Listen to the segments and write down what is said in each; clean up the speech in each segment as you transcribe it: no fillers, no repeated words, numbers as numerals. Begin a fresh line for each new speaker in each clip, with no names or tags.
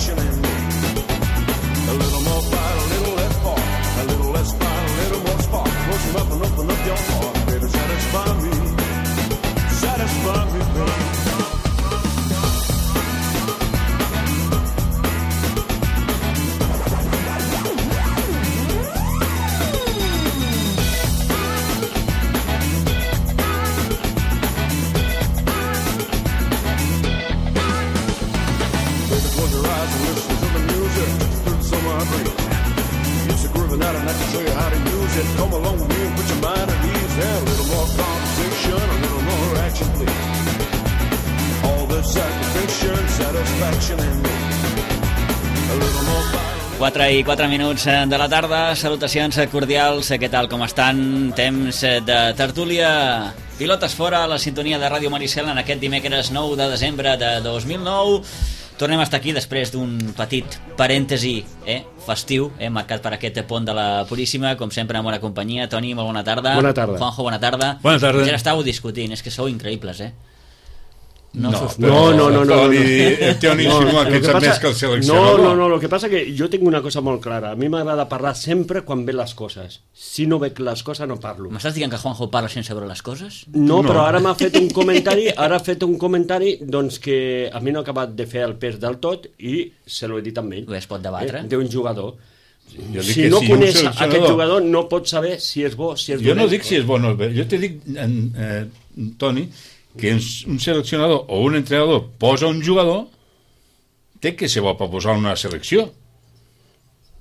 satisfaction in me. A little more fight, a little less fart. A little less fight, a little more spark. Close enough and open up your heart. Baby, satisfy me. Satisfy me, baby. Come along with me and put your mind at ease. Yeah, a little more conversation, a little more action, please. All the satisfaction, satisfaction in me. A little more fire.
4 i 4 minuts de la tarda. Salutacions cordials. Què tal, com estan? Temps de tertúlia. Pilotes fora a la sintonia de Ràdio Maricel en aquest dimecres 9 de desembre de 2009. Tornem a estar aquí després d'un petit parèntesi festiu, marcat per aquest pont de la Puríssima, com sempre en bona companyia. Toni, molt bona tarda.
Bona tarda.
Juanjo, bona tarda.
Bona tarda.
Ja estàveu discutint, és que sou increïbles,
No, el
Teo insinua que ets més que el seleccionador.
No, lo que pasa que yo tengo una cosa molt clara. A mi m'agrada parlar sempre quan ve les coses. Si no veig les coses no parlo.
M'estàs dient que Juanjo parla sense veure les coses?
No, però ara m'ha fet un comentari, doncs que a mi no ha acabat de fer el pes del tot i se l'ho he dit amb ell.
Es pot debatre.
D'un jugador. Si no coneix aquest jugador no pot saber si és bo, si és dolent.
Jo no dic si és bo o no és bé. Jo te dic, Toni, que un seleccionador o un entrenador posa un jugador, té que ser bo per posar una selecció.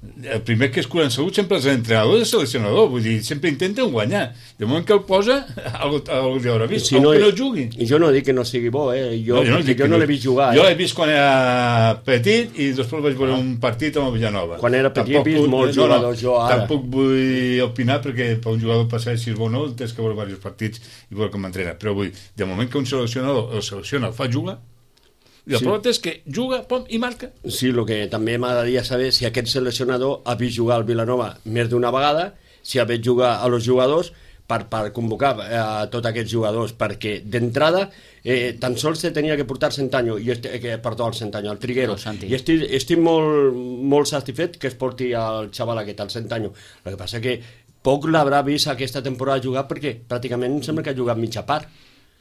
El primer que es cura en salut sempre és l'entrenador i el seleccionador, vull dir, sempre intenten guanyar. De moment que el posa, algú li haurà vist,
si no,
que no jugui.
I jo no dic que no sigui bo, jo no l'he vist jugar.
Jo l'he vist quan era petit i després vaig veure un partit amb el Villanova.
Quan era petit he vist molts jugadors, jo ara.
Tampoc vull opinar perquè per un jugador passar si és bo o no tens que veure diversos partits i veure com entrena, però vull dir, de moment que un seleccionador el selecciona, el fa jugar, i la prova és que juga, pom, i marca.
Sí, el que també m'agradaria saber si aquest seleccionador ha vist jugar al Vilanova més d'una vegada, si ha vist jugar a los jugadors per convocar a tots aquests jugadors, perquè d'entrada tan sols se tenia que portar Centanyo, el Triguero, i estic molt satisfet que es porti el xaval aquest, el Centanyo. El que passa que poc l'haurà vist aquesta temporada jugar perquè pràcticament sembla que ha jugat mitja part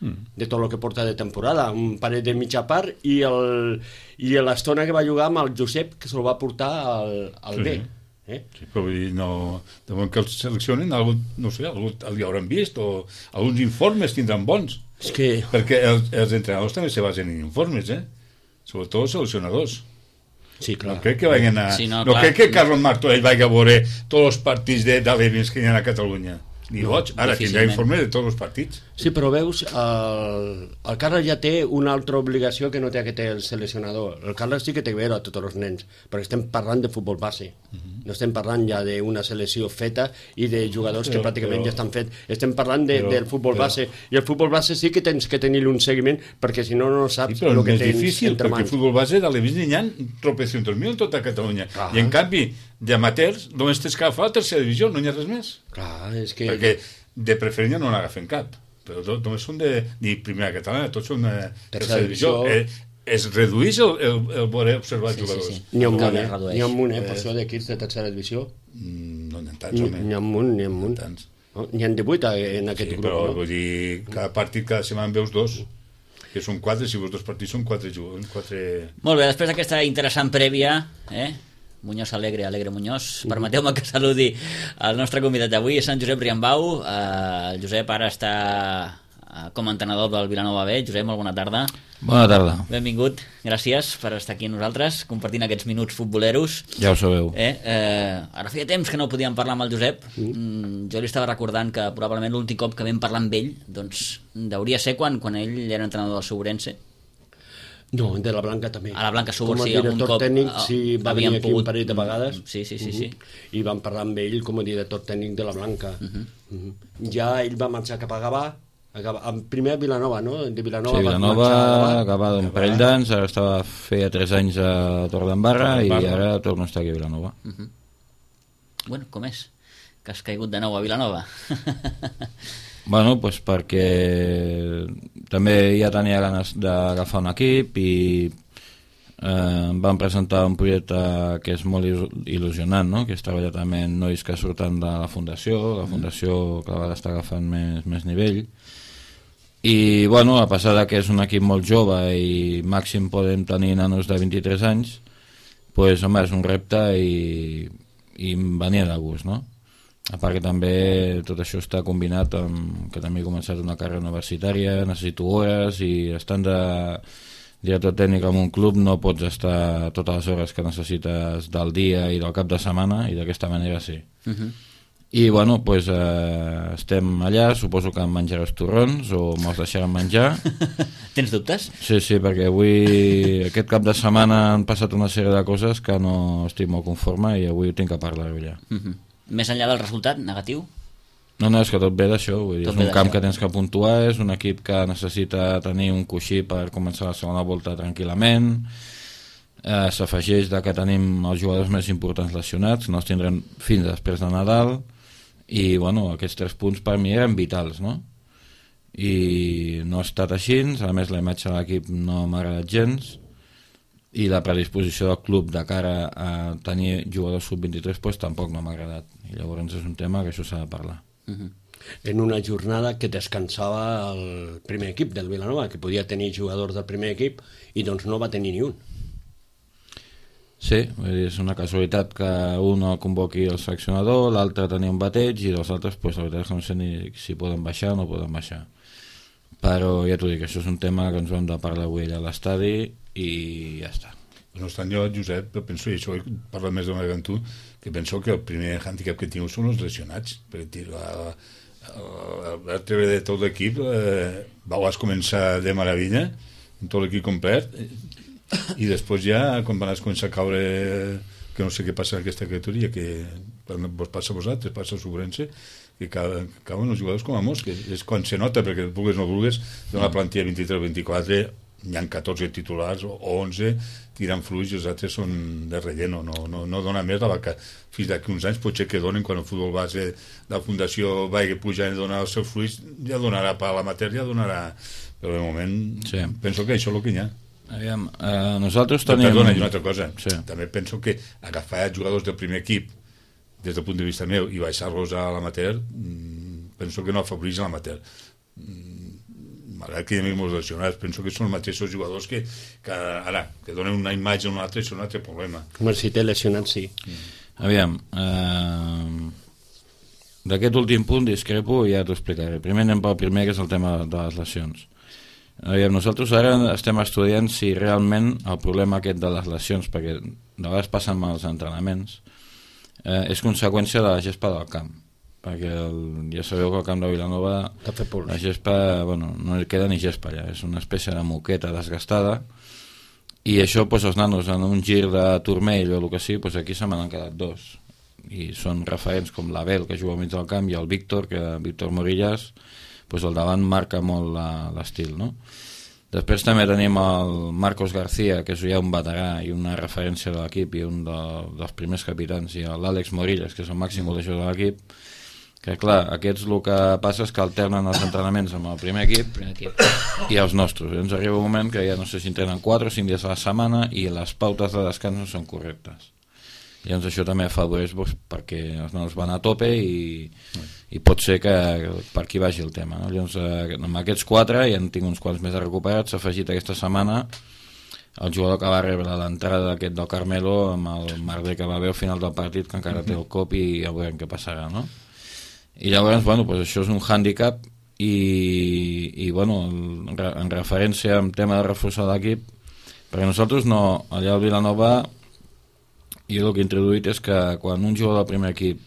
de tot el que porta de temporada, un parell de mitja part i l'estona que va jugar amb el Josep, que se'l va portar al B.
Sí, però vull dir, no, de moment que els seleccionen, no sé, algú li hauran vist o alguns informes tindran bons.
És que...
Perquè els entrenadors també se basen en informes, sobretot els seleccionadors.
Sí, clar.
No crec que vagin a...
Sí, no
crec que Carlos Martorell vagi a veure tots els partits d'alevins que hi ha a Catalunya. Ni boig, ara tindrà informe de tots els partits.
Sí, però veus, el Carles ja té una altra obligació que no té que té el seleccionador. El Carles sí que té que veure a tots els nens, perquè estem parlant de futbol base. No estem parlant ja d'una selecció feta i de jugadors que pràcticament ja estan fets. Estem parlant del futbol base. I el futbol base sí que tens que tenir un seguiment, perquè si no, no saps el que tens
difícil,
entre mans.
perquè el futbol base d'alevins n'hi ha tropecientos mil en tota Catalunya. I en canvi, d'amateurs, només tens que agafar la tercera divisió, no hi ha res més.
Clar, és que...
Perquè de preferència no n'agafen cap, però només són de primera catalana, tots són tercera divisió. Es redueix el voler observar jugadors.
N'hi ha un munt, per això d'equips de tercera divisió.
No n'hi ha tants, home.
N'hi ha un munt. N'hi ha 18 en aquest grup,
però vull dir, cada partit, cada setmana veus dos, que són 4, si veus dos partits són 4 jugadors.
Molt bé, després d'aquesta interessant prèvia, Muñoz Alegre Muñoz, permeteu-me que saludi el nostre convidat d'avui, Sant Josep Riambau. El Josep ara està com a entrenador del Vilanova B. Josep, molt bona tarda.
Bona tarda.
Benvingut, gràcies per estar aquí amb nosaltres, compartint aquests minuts futboleros.
Ja ho sabeu.
Ara feia temps que no podíem parlar amb el Josep. Jo li estava recordant que probablement l'últim cop que vam parlar amb ell doncs hauria ser quan ell era entrenador del Segurense.
No, de la Blanca també.
A la Blanca Subur, sí,
algun cop. Com a director tècnic, sí, va venir aquí un parell de vegades.
Sí.
I vam parlar amb ell com a director tècnic de la Blanca. Ja ell va marxar cap a Gavà, primer a Vilanova, no? De Vilanova,
sí, Vilanova, Gavà d'un parell d'anys, ara feia 3 anys a Torredembarra i ara torno a estar aquí a Vilanova.
Bueno, com és? Que has caigut de nou a Vilanova?
Bueno, doncs perquè també ja tenia ganes d'agafar un equip i em van presentar un projecte que és molt il·lusionant, no? Que és treballar també amb nois que surten de la fundació cada vegada està agafant més nivell, i bueno, a pesar de que és un equip molt jove i màxim podem tenir nanos de 23 anys, pues, home, és un repte i em venia de gust, no? A part que també tot això està combinat amb que també he començat una carrera universitària, necessito hores, i estant de director tècnic en un club no pots estar totes les hores que necessites del dia i del cap de setmana, i d'aquesta manera sí. I bueno, pues, estem allà, suposo que em menjaràs torrons o me'ls deixaran menjar.
Tens dubtes?
Sí, perquè avui, aquest cap de setmana han passat una sèrie de coses que no estic molt conforme i avui tinc que parlar-ho ja.
Més enllà del resultat negatiu?
No, és que tot ve d'això, és un camp que tens que puntuar, és un equip que necessita tenir un coixí per començar la segona volta tranquil·lament, s'afegeix que tenim els jugadors més importants lesionats, no els tindrem fins després de Nadal, i bueno, aquests 3 punts per mi eren vitals, no? I no ha estat així, a més la imatge de l'equip no m'ha agradat gens, i la predisposició del club de cara a tenir jugadors sub-23 pues, tampoc no m'ha agradat, i llavors és un tema que això s'ha de parlar.
En una jornada que descansava el primer equip del Vilanova, que podia tenir jugadors del primer equip, i doncs no va tenir ni un.
Sí, és una casualitat que un el convoqui el seleccionador, l'altre tenia un bateig, i els altres, pues, la veritat és que no sé ni si poden baixar o no poden baixar. Però ja t'ho dic, això és un tema que ens vam de parlar avui allà a l'estadi i ja està.
No estan jo, Josep, penso, i això parla més d'una vegada amb tu, que penso que el primer handicap que tingueu són els lesionats, perquè el treure de tot l'equip vas començar de meravella, amb tot l'equip complet, i després ja, quan vas començar a caure, que no sé què passa en aquesta criatura, que vos passa a vosaltres, passa a Sobrense, que cauen els jugadors com a mosques. És quan se nota, perquè vulgues no vulgues, d'una plantilla 23-24, hi ha 14 titulars o 11 tirant fluix, i els altres són de relleno, no dona més la vaca. Fins d'aquí uns anys potser que donen, quan el futbol base de la fundació vagi pujant i donar els seus fluix, ja donarà per l'amateur, ja donarà, però de moment sí. Penso que això és el que hi ha.
Aviam, nosaltres tenim...
Perdona, i una altra cosa,
sí.
També penso que agafar jugadors del primer equip des del punt de vista meu i baixar-los a l'amateur, penso que no afavoreix l'amateur. Malgrat que hi ha molts lesionats, penso que són els mateixos jugadors que ara, que donen una imatge a un altre, és un altre problema.
Com si té lesionats, sí.
Aviam, d'aquest últim punt discrepo i ja t'ho explicaré. Primer anem pel primer, que és el tema de les lesions. Aviam, nosaltres ara estem estudiant si realment el problema aquest de les lesions, perquè de vegades passen amb els entrenaments, és conseqüència de la gespa del camp, perquè ja sabeu que al camp de Vilanova la gespa, bueno, no queda ni gespa allà, és una espècie de moqueta desgastada, i això pues, els nanos en un gir de turmell o el que sigui, pues, aquí se m'han quedat 2, i són referents com l'Abel, que juga al mig del camp, i el Víctor Morillas, pues, al davant marca molt l'estil, no? Després també tenim el Marcos García, que és ja un veterà i una referència de l'equip i un dels primers capitans, i l'Àlex Morillas, que és el màxim golejador de l'equip, que clar, aquests el que passa és que alternen els entrenaments amb el primer equip i els nostres. Ens arriba un moment que ja no sé si entrenen 4 o 5 dies a la setmana i les pautes de descans no són correctes. Llavors això també afavoreix perquè els nanos van a tope i pot ser que per aquí vagi el tema, no? Llavors amb aquests 4 ja en tinc uns quants més recuperats. S'ha afegit aquesta setmana el jugador que va rebre l'entrada d'aquest del Carmelo amb el merder que va haver al final del partit, que encara té el cop i ja veurem què passarà, no? I llavors, bueno, pues això és un hàndicap i bueno, en referència amb tema de reforçar l'equip, perquè nosaltres no, allà al Vilanova jo el que he introduït és que quan un jugador del primer equip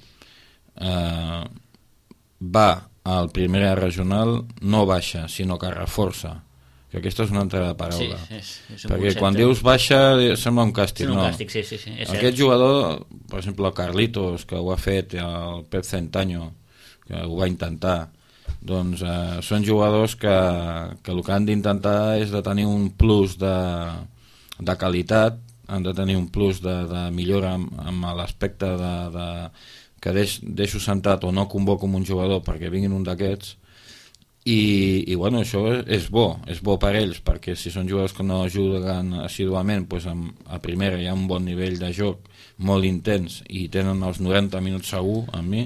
va al primer regional no baixa, sinó que reforça, que aquesta és una altra paraula,
sí, és un
perquè
concepte.
quan dius baixa sembla un càstig,
un
no?
càstig, sí,
Aquest jugador, per exemple el Carlitos, que ho ha fet, el Pep Centanyo, que ho va intentar, doncs són jugadors que el que han d'intentar és de tenir un plus de qualitat, han de tenir un plus de millora amb l'aspecte que deixo sentat o no convoco un jugador perquè vinguin un d'aquests, i bueno, això és bo per ells, perquè si són jugadors que no juguen assiduament, doncs a primera hi ha un bon nivell de joc molt intens i tenen els 90 minuts segur amb mi,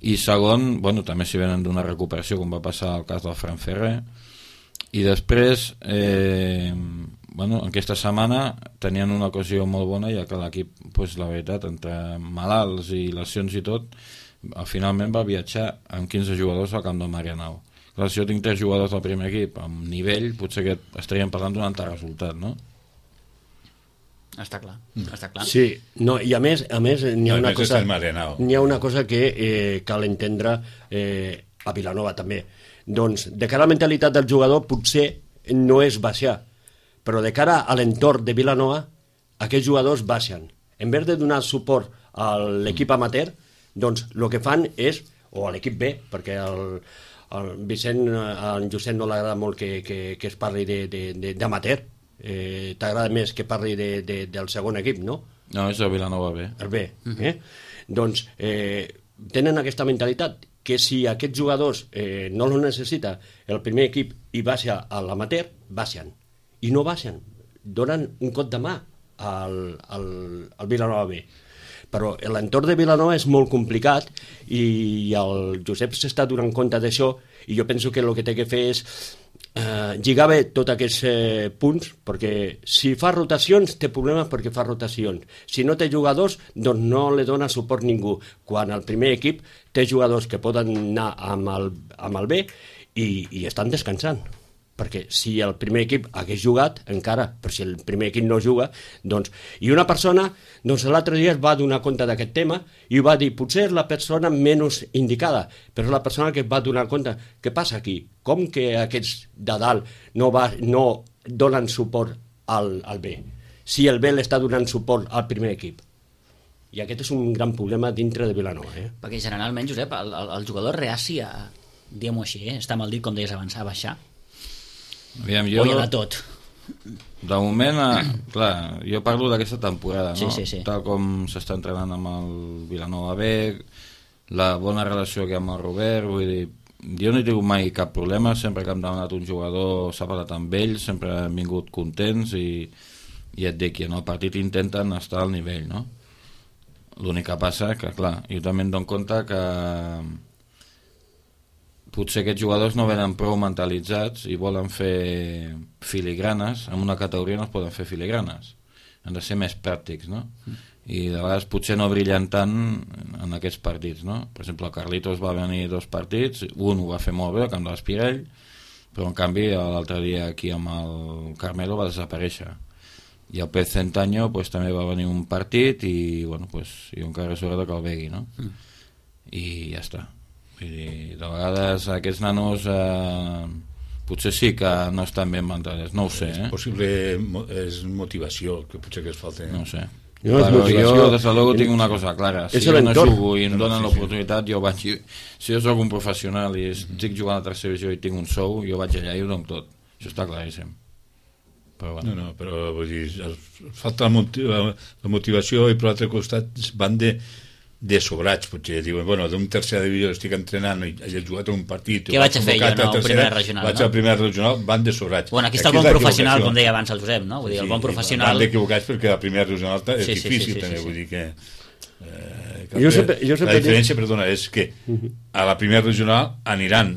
i segon, bueno, també si venen d'una recuperació com va passar al cas del Fran Ferrer, i després bueno, aquesta setmana tenien una ocasió molt bona, ja que l'equip, doncs, la veritat, entre malalts i lesions i tot, finalment va viatjar amb 15 jugadors al camp del Marianao. Clar, si jo tinc 3 jugadors del primer equip amb nivell, potser que estaríem parlant d'un altre resultat, no?
Està clar, està clar.
Sí, no, i a més n'hi ha una cosa que cal entendre a Vilanova també. Doncs de cara a la mentalitat del jugador potser no és baixar, però de cara a l'entorn de Vilanova aquests jugadors baixen. En vez de donar suport a l'equip amateur, doncs el que fan és, o a l'equip B, perquè el Vicent, al Josep no l'agrada molt que es parli d'amateur, t'agrada més que parli del segon equip, no?
No, és el Vilanova B.
El B, Doncs tenen aquesta mentalitat que si aquests jugadors no els necessita el primer equip i baixa a l'amateur, baixen. I no baixen, donen un cop de mà al Vilanova B. Però l'entorn de Vilanova és molt complicat i el Josep s'està donant compte d'això, i jo penso que el que té que fer és lligar bé tots aquests punts, perquè si fa rotacions té problemes perquè fa rotacions. Si no té jugadors, doncs no li dona suport ningú, quan el primer equip té jugadors que poden anar amb el B i estan descansant. Perquè si el primer equip hagués jugat, encara, però si el primer equip no juga, doncs... I una persona, doncs l'altre dia es va donar compte d'aquest tema i va dir, potser és la persona menys indicada, però és la persona que es va donar compte. Què passa aquí? Com que aquests de dalt no donen suport al B? Si el B l'està donant suport al primer equip. I aquest és un gran problema dintre de Vilanova.
Perquè generalment, Josep, el jugador reaci a, diguem-ho així, està mal dit, com deies abans, a baixar.
Aviam,
o hi ha de tot.
De moment, clar, jo parlo d'aquesta temporada, no?
Sí.
Tal com s'està entrenant amb el Vilanova B, la bona relació que hi ha amb el Robert, vull dir, jo no he tingut mai cap problema, sempre que hem demanat un jugador s'ha parlat amb ells, sempre han vingut contents i et dic que en el partit intenten estar al nivell, no? L'únic que passa que, clar, jo també em dono compte que potser aquests jugadors no venen prou mentalitzats i volen fer filigranes. En una categoria no es poden fer filigranes, han de ser més pràctics, no? I de vegades potser no brillen tant en aquests partits, no? Per exemple, el Carlitos va venir 2 partits, un ho va fer molt bé al camp de l'Espirell, però en canvi l'altre dia aquí amb el Carmelo va desaparèixer, i el Pez Centanyo pues, també va venir un partit i bueno, pues, jo encara és hora que el vegui, no? I ja està. Vull dir, de vegades aquests nanos potser sí que no estan ben mentals, no ho sé,
És possible, és motivació que potser que es falta,
no ho sé.
No,
però jo des de luego tinc una cosa clara, si jo no jugo i em donen l'oportunitat, jo vaig, si jo soc un professional i estic jugant a la tercera divisió i tinc un sou, jo vaig allà i ho dono tot, això està claríssim. Però bueno.
No, però vull dir, falta la motivació i per l'altre costat van de sobrats, potser diuen, bueno, d'un tercera divisió estic entrenant i he jugat un partit,
què vaig a fer jo, no? Un primer regional,
vaig al primer regional, van de sobrats.
Bueno, aquí està el bon professional, com deia abans el Josep, no? Vull dir, el bon professional...
Van d'equivocats perquè el primer regional és difícil, també, vull dir que...
Jo sempre
la diferència, perdona, és que a la primera regional aniran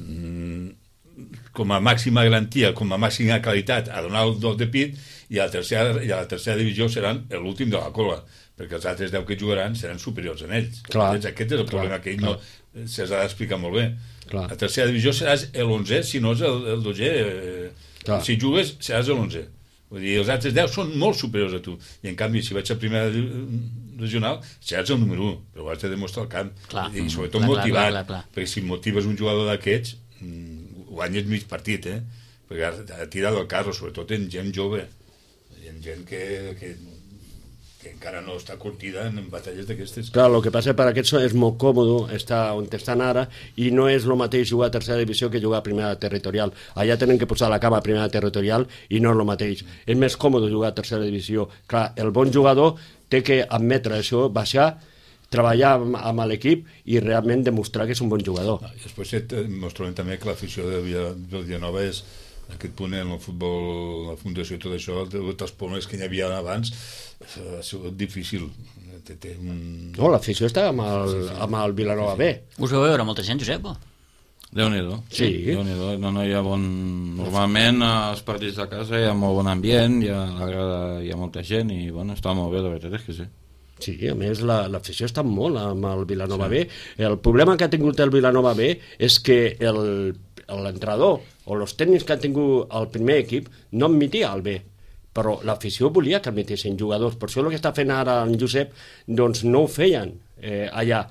com a màxima garantia, com a màxima qualitat a donar el dos de pit, i a la tercera divisió seran l'últim de la cola, perquè els altres 10 que jugaran seran superiors a ells. Aquest és el problema que ell no se'ls ha d'explicar molt bé. A la tercera divisió seràs l'11, si no és el 12, si jugues seràs l'11. Vull dir, els altres 10 són molt superiors a tu, i en canvi si vaig a primera regional seràs el número 1, però ho has de demostrar al camp, i sobretot motivat, perquè si motives un jugador d'aquests guanyes mig partit, perquè ha tirat el carro, sobretot en gent jove, en gent que encara no està curtida en batalles d'aquestes.
Clar, el que passa per aquests és molt còmode estar on estan ara, i no és el mateix jugar a tercera divisió que jugar a primera territorial. Allà tenen que posar la cama a primera territorial i no és el mateix. És més còmode jugar a tercera divisió. Clar, el bon jugador té que admetre això, baixar, treballar amb l'equip i realment demostrar que és un bon jugador.
I després ens trobem també que l'afició del Villanova és aquest punt en el futbol, la fundació i tot això, els problemes que hi havia abans, ha sigut difícil.
No, l'afició està amb el Vilanova B.
Us vau veure molta gent, Josep?
Déu-n'hi-do.
Sí.
Déu-n'hi-do. No, hi ha Normalment als partits de casa hi ha molt bon ambient, hi ha molta gent i bueno, està molt bé, la veritat és que sí.
Sí, a més l'afició està molt amb el Vilanova B. El problema que ha tingut el Vilanova B és que l'entrenador o els tècnics que han tingut el primer equip no admitia el B, però l'afició volia que admitessin jugadors. Per això el que està fent ara en Josep doncs no ho feien allà.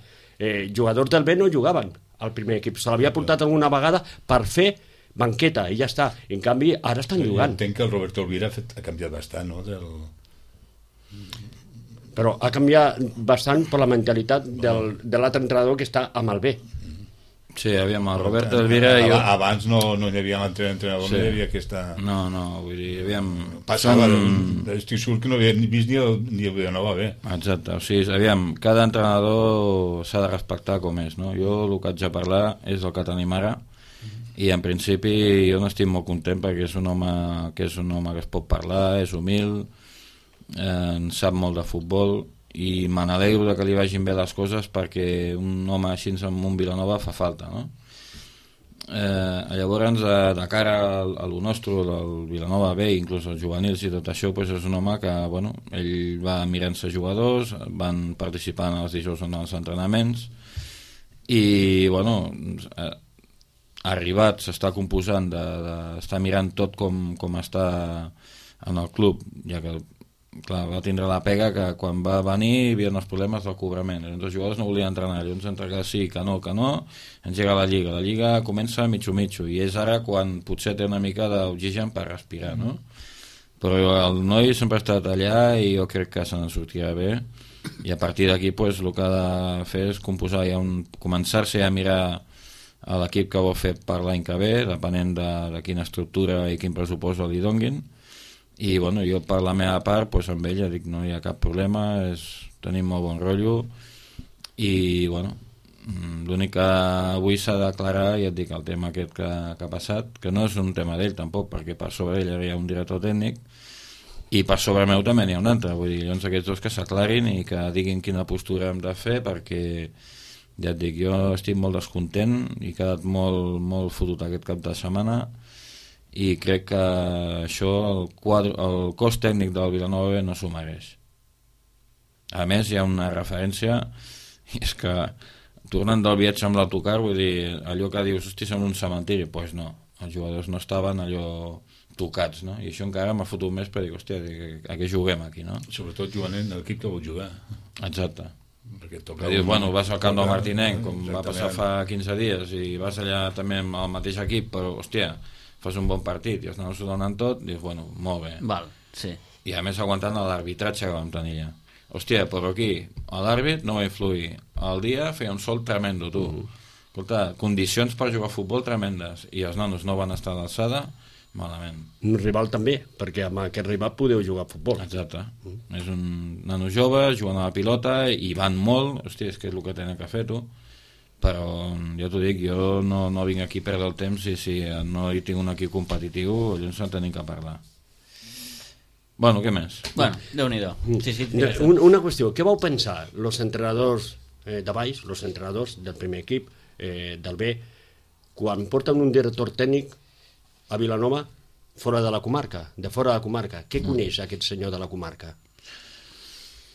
Jugadors del B no jugaven al primer equip, se l'havia portat alguna vegada per fer banqueta i ja està. En canvi ara estan jugant.
Entenc que el Roberto Elvira ha canviat bastant, no?
Però ha canviat bastant per la mentalitat de l'altre entrenador que està amb el B.
Sí, aviam, el Roberto Elvira...
Abans no hi havia l'entrenador, no hi havia aquesta...
No, vull dir, aviam...
Passava, estic segur que no havia vist ni el Villanova B.
Exacte, o sigui, aviam, cada entrenador s'ha de respectar com és, no? Jo el que haig de parlar és el que tenim ara, i en principi jo no estic molt content perquè és un home que es pot parlar, és humil, en sap molt de futbol i me n'alegro que li vagin bé les coses perquè un home així amb un Vilanova fa falta, no? Llavors de cara a lo nostre, del Vilanova B, inclús els juvenils i tot això, doncs és un home que bueno, ell va mirant-se jugadors, van participant els dijous en els entrenaments i bueno, arribat s'està composant d'estar mirant tot com està en el club, ja que clar, va tindre la pega que quan va venir hi havia els problemes del cobrament, els jugadors no volien entrenar, llavors entre que sí, que no, engega la Lliga comença mitjo, i és ara quan potser té una mica d'oxigen per respirar, no? Però el noi sempre ha estat allà i jo crec que se n'en sortirà bé i a partir d'aquí pues, el que ha de fer és composar ja començar-se a mirar a l'equip que vol fer per l'any que ve, depenent de quina estructura i quin pressupost li donguin. I bueno, jo per la meva part pues, amb ella dic no hi ha cap problema, tenim molt bon rotllo i bueno, l'únic que avui s'ha d'aclarar, ja et dic, el tema aquest que ha passat, que no és un tema d'ell tampoc, perquè per sobre ell hi ha un director tècnic i per sobre meu també n'hi ha un altre, vull dir, llavors aquests dos que s'aclarin i que diguin quina postura hem de fer, perquè ja et dic, jo estic molt descontent i he quedat molt fotut aquest cap de setmana i crec que això el cos tècnic del Vilanova no s'ho mereix. A més hi ha una referència i és que tornant del viatge amb l'autocar, vull dir, allò que dius hosti, som un cementiri, doncs no, els jugadors no estaven allò tocats, no? I això encara m'ha fotut més per dir, hòstia, a què juguem aquí, no?
Sobretot jugant en l'equip que vol jugar.
Exacte.
Perquè
dius, bueno, vas al camp del Martinenc, com va passar fa 15 dies, i vas allà també amb el mateix equip, però, hòstia, fas un bon partit i els nanos s'ho donen tot, dius, bueno, molt bé.
Val, sí.
I a més aguantant l'arbitratge que vam tenir allà. Hòstia, però aquí l'àrbit no va influir. El dia feia un sol tremendo, tu. Escolta, condicions per jugar a futbol tremendes i els nanos no van estar a l'alçada, malament.
Un rival també, perquè amb aquest rival podeu jugar a futbol.
Exacte. És un nano jove, jugant a la pilota i van molt, hòstia, és que és el que tenen que fer, tu. Però ja t'ho dic, jo no vinc aquí a perdre el temps i si no hi tinc un equip competitiu llavors no tenim que parlar. Bueno, què més?
Bueno, Déu-n'hi-do. Sí,
una qüestió, què vau pensar els entrenadors de baix, els entrenadors del primer equip del B, quan porten un director tècnic a Vilanova fora de la comarca, què coneix aquest senyor de la comarca?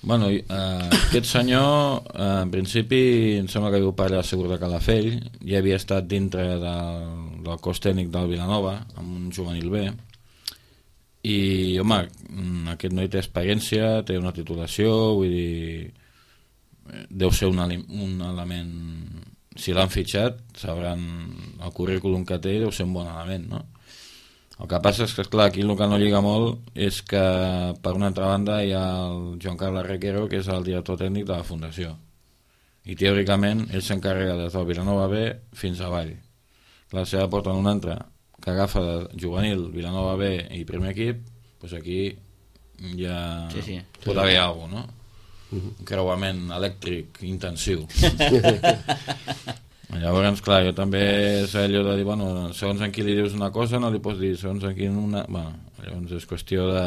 Bueno, aquest senyor en principi em sembla que viu per allà segur de Calafell, ja havia estat dintre del cos tècnic del Vilanova amb un juvenil B i home, aquest noi té experiència, té una titulació, vull dir deu ser un element, si l'han fitxat sabran el currículum que té, deu ser un bon element, no? El que passa és que, esclar, aquí el que no lliga molt és que, per una altra banda, hi ha el Joan Carles Requero, que és el director tècnic de la Fundació. I, teòricament, ell s'encarrega des del Vilanova B fins avall. Clar, si ara porten un altre que agafa de juvenil, Vilanova B i primer equip, doncs aquí ja pot haver alguna cosa, no? un creuament elèctric intensiu. Llavors, clar, jo també és allò de dir, bueno, segons en qui li dius una cosa no li pots dir segons en qui una... Bueno, llavors és qüestió de...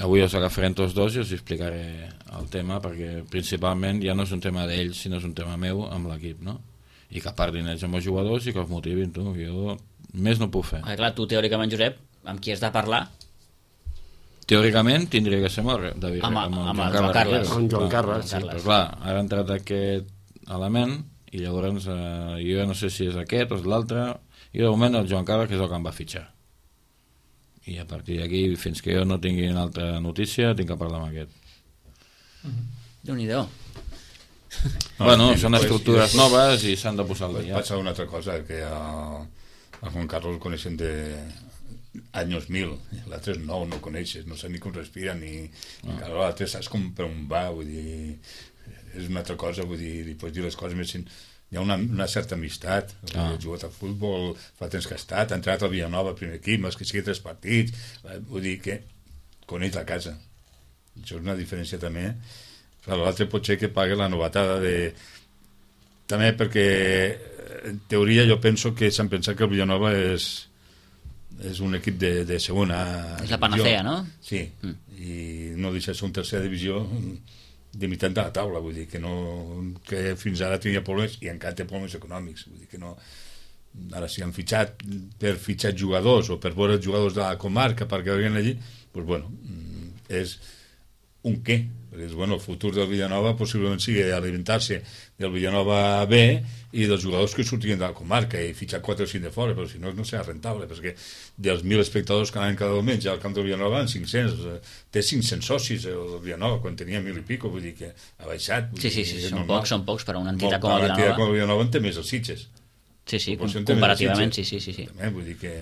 Avui us agafarem tots dos i us explicaré el tema, perquè principalment ja no és un tema d'ells, sinó és un tema meu amb l'equip, no? I que parlin ells amb els jugadors i que els motivin, tu. Jo més no puc fer.
Clar, tu teòricament, Josep, amb qui has de parlar?
Teòricament tindria que ser amb el
Joan Carles.
Amb Joan Carles.
Sí, però clar, ara ha entrat aquest element i llavors jo no sé si és aquest o és l'altre, i de moment el Joan Carles que és el que em va fitxar, i a partir d'aquí fins que jo no tingui una altra notícia tinc que parlar amb aquest.
Déu-n'hi-do.
Bueno, són estructures noves i s'han de posar al dia.
Passa una altra cosa, que a Juan Carlos el coneixen de anys 1000, l'altre és nou, no coneixes, no sé ni com respira ni l'altre saps com per on va, vull dir, és una altra cosa, vull dir, li pots dir les coses més... Hi ha una certa amistat, ha jugat a futbol, fa temps que ha estat, ha entrat al Villanova, primer equip, més que sigui 3 partits, vull dir que coneix la casa. Això és una diferència també. L'altre pot ser que pague la novatada de... També perquè, en teoria, jo penso que s'han pensat que el Villanova és un equip de segona...
És la panacea, no?
Sí, i no deixa ser un tercera divisió de meitat de la taula, vull dir que fins ara tenia problemes i encara té problemes econòmics, vull dir que no. Ara si han fitxat per fitxar jugadors o per veure els jugadors de la comarca perquè venguin allí, doncs bueno, és un què, perquè bueno, el futur del Villanova possiblement sigui alimentar-se del Villanova B i dels jugadors que sortien de la comarca i fitxar 4 o 5 de fora, però si no serà rentable, perquè dels 1.000 espectadors que anaven cada diumenge al camp del Villanova en 500, té 500 socis el Villanova quan tenia 1.000 i pico, vull dir que ha baixat.
Sí, són pocs per a una entitat com el Villanova.
Una entitat com el Villanova en té més els Sitges.
Sí, comparativament, sí.
També, vull dir que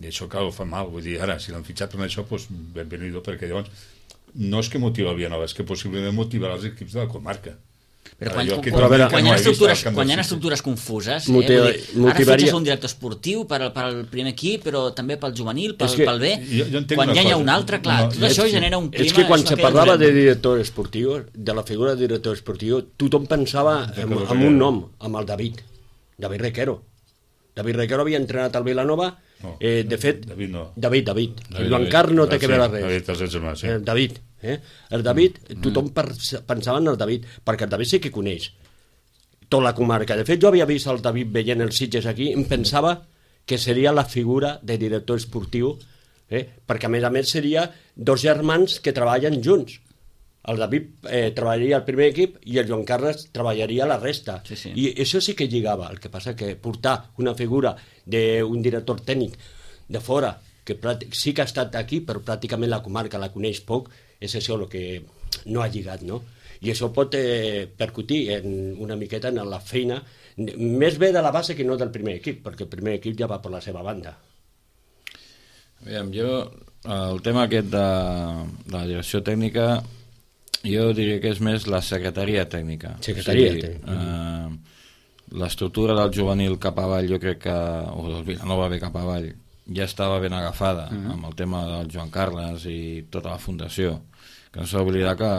això cal ho fa mal, vull dir, ara, si l'han fitxat per això, doncs benvenido, perquè llavors no és que motiva el Villanova, és que possiblement motivarà els equips de la comarca.
Però quan hi ha estructures confuses, ara fitxes un director esportiu per al primer equip, però també pel juvenil, pel B, quan ja hi ha un altre, clar, tot això genera un clima...
És que quan se parlava de director esportiu, de la figura de director esportiu, tothom pensava en un nom, amb el David Requero. David Requero havia entrenat al Villanova. De fet, David. Joan Carles no té que veure res. David. El David, tothom pensava en el David, perquè el David sí que coneix tota la comarca. De fet, jo havia vist el David veient els Sitges aquí, em pensava que seria la figura de director esportiu, perquè a més seria 2 germans que treballen junts. El David treballaria al primer equip i el Joan Carles treballaria la resta.
Sí.
I això sí que lligava. El que passa que portar una figura d'un director tècnic de fora, que sí que ha estat aquí, però pràcticament la comarca la coneix poc, és això el que no ha lligat, no? I això pot percutir una miqueta en la feina, més bé de la base que no del primer equip, perquè el primer equip ja va per la seva banda.
Aviam, el tema aquest de la direcció tècnica, jo diria que és més la secretaria tècnica. L'estructura del juvenil cap avall, jo crec que, o del Villanova ve cap avall, ja estava ben agafada amb el tema del Joan Carles i tota la fundació, que no s'ha d'oblidar que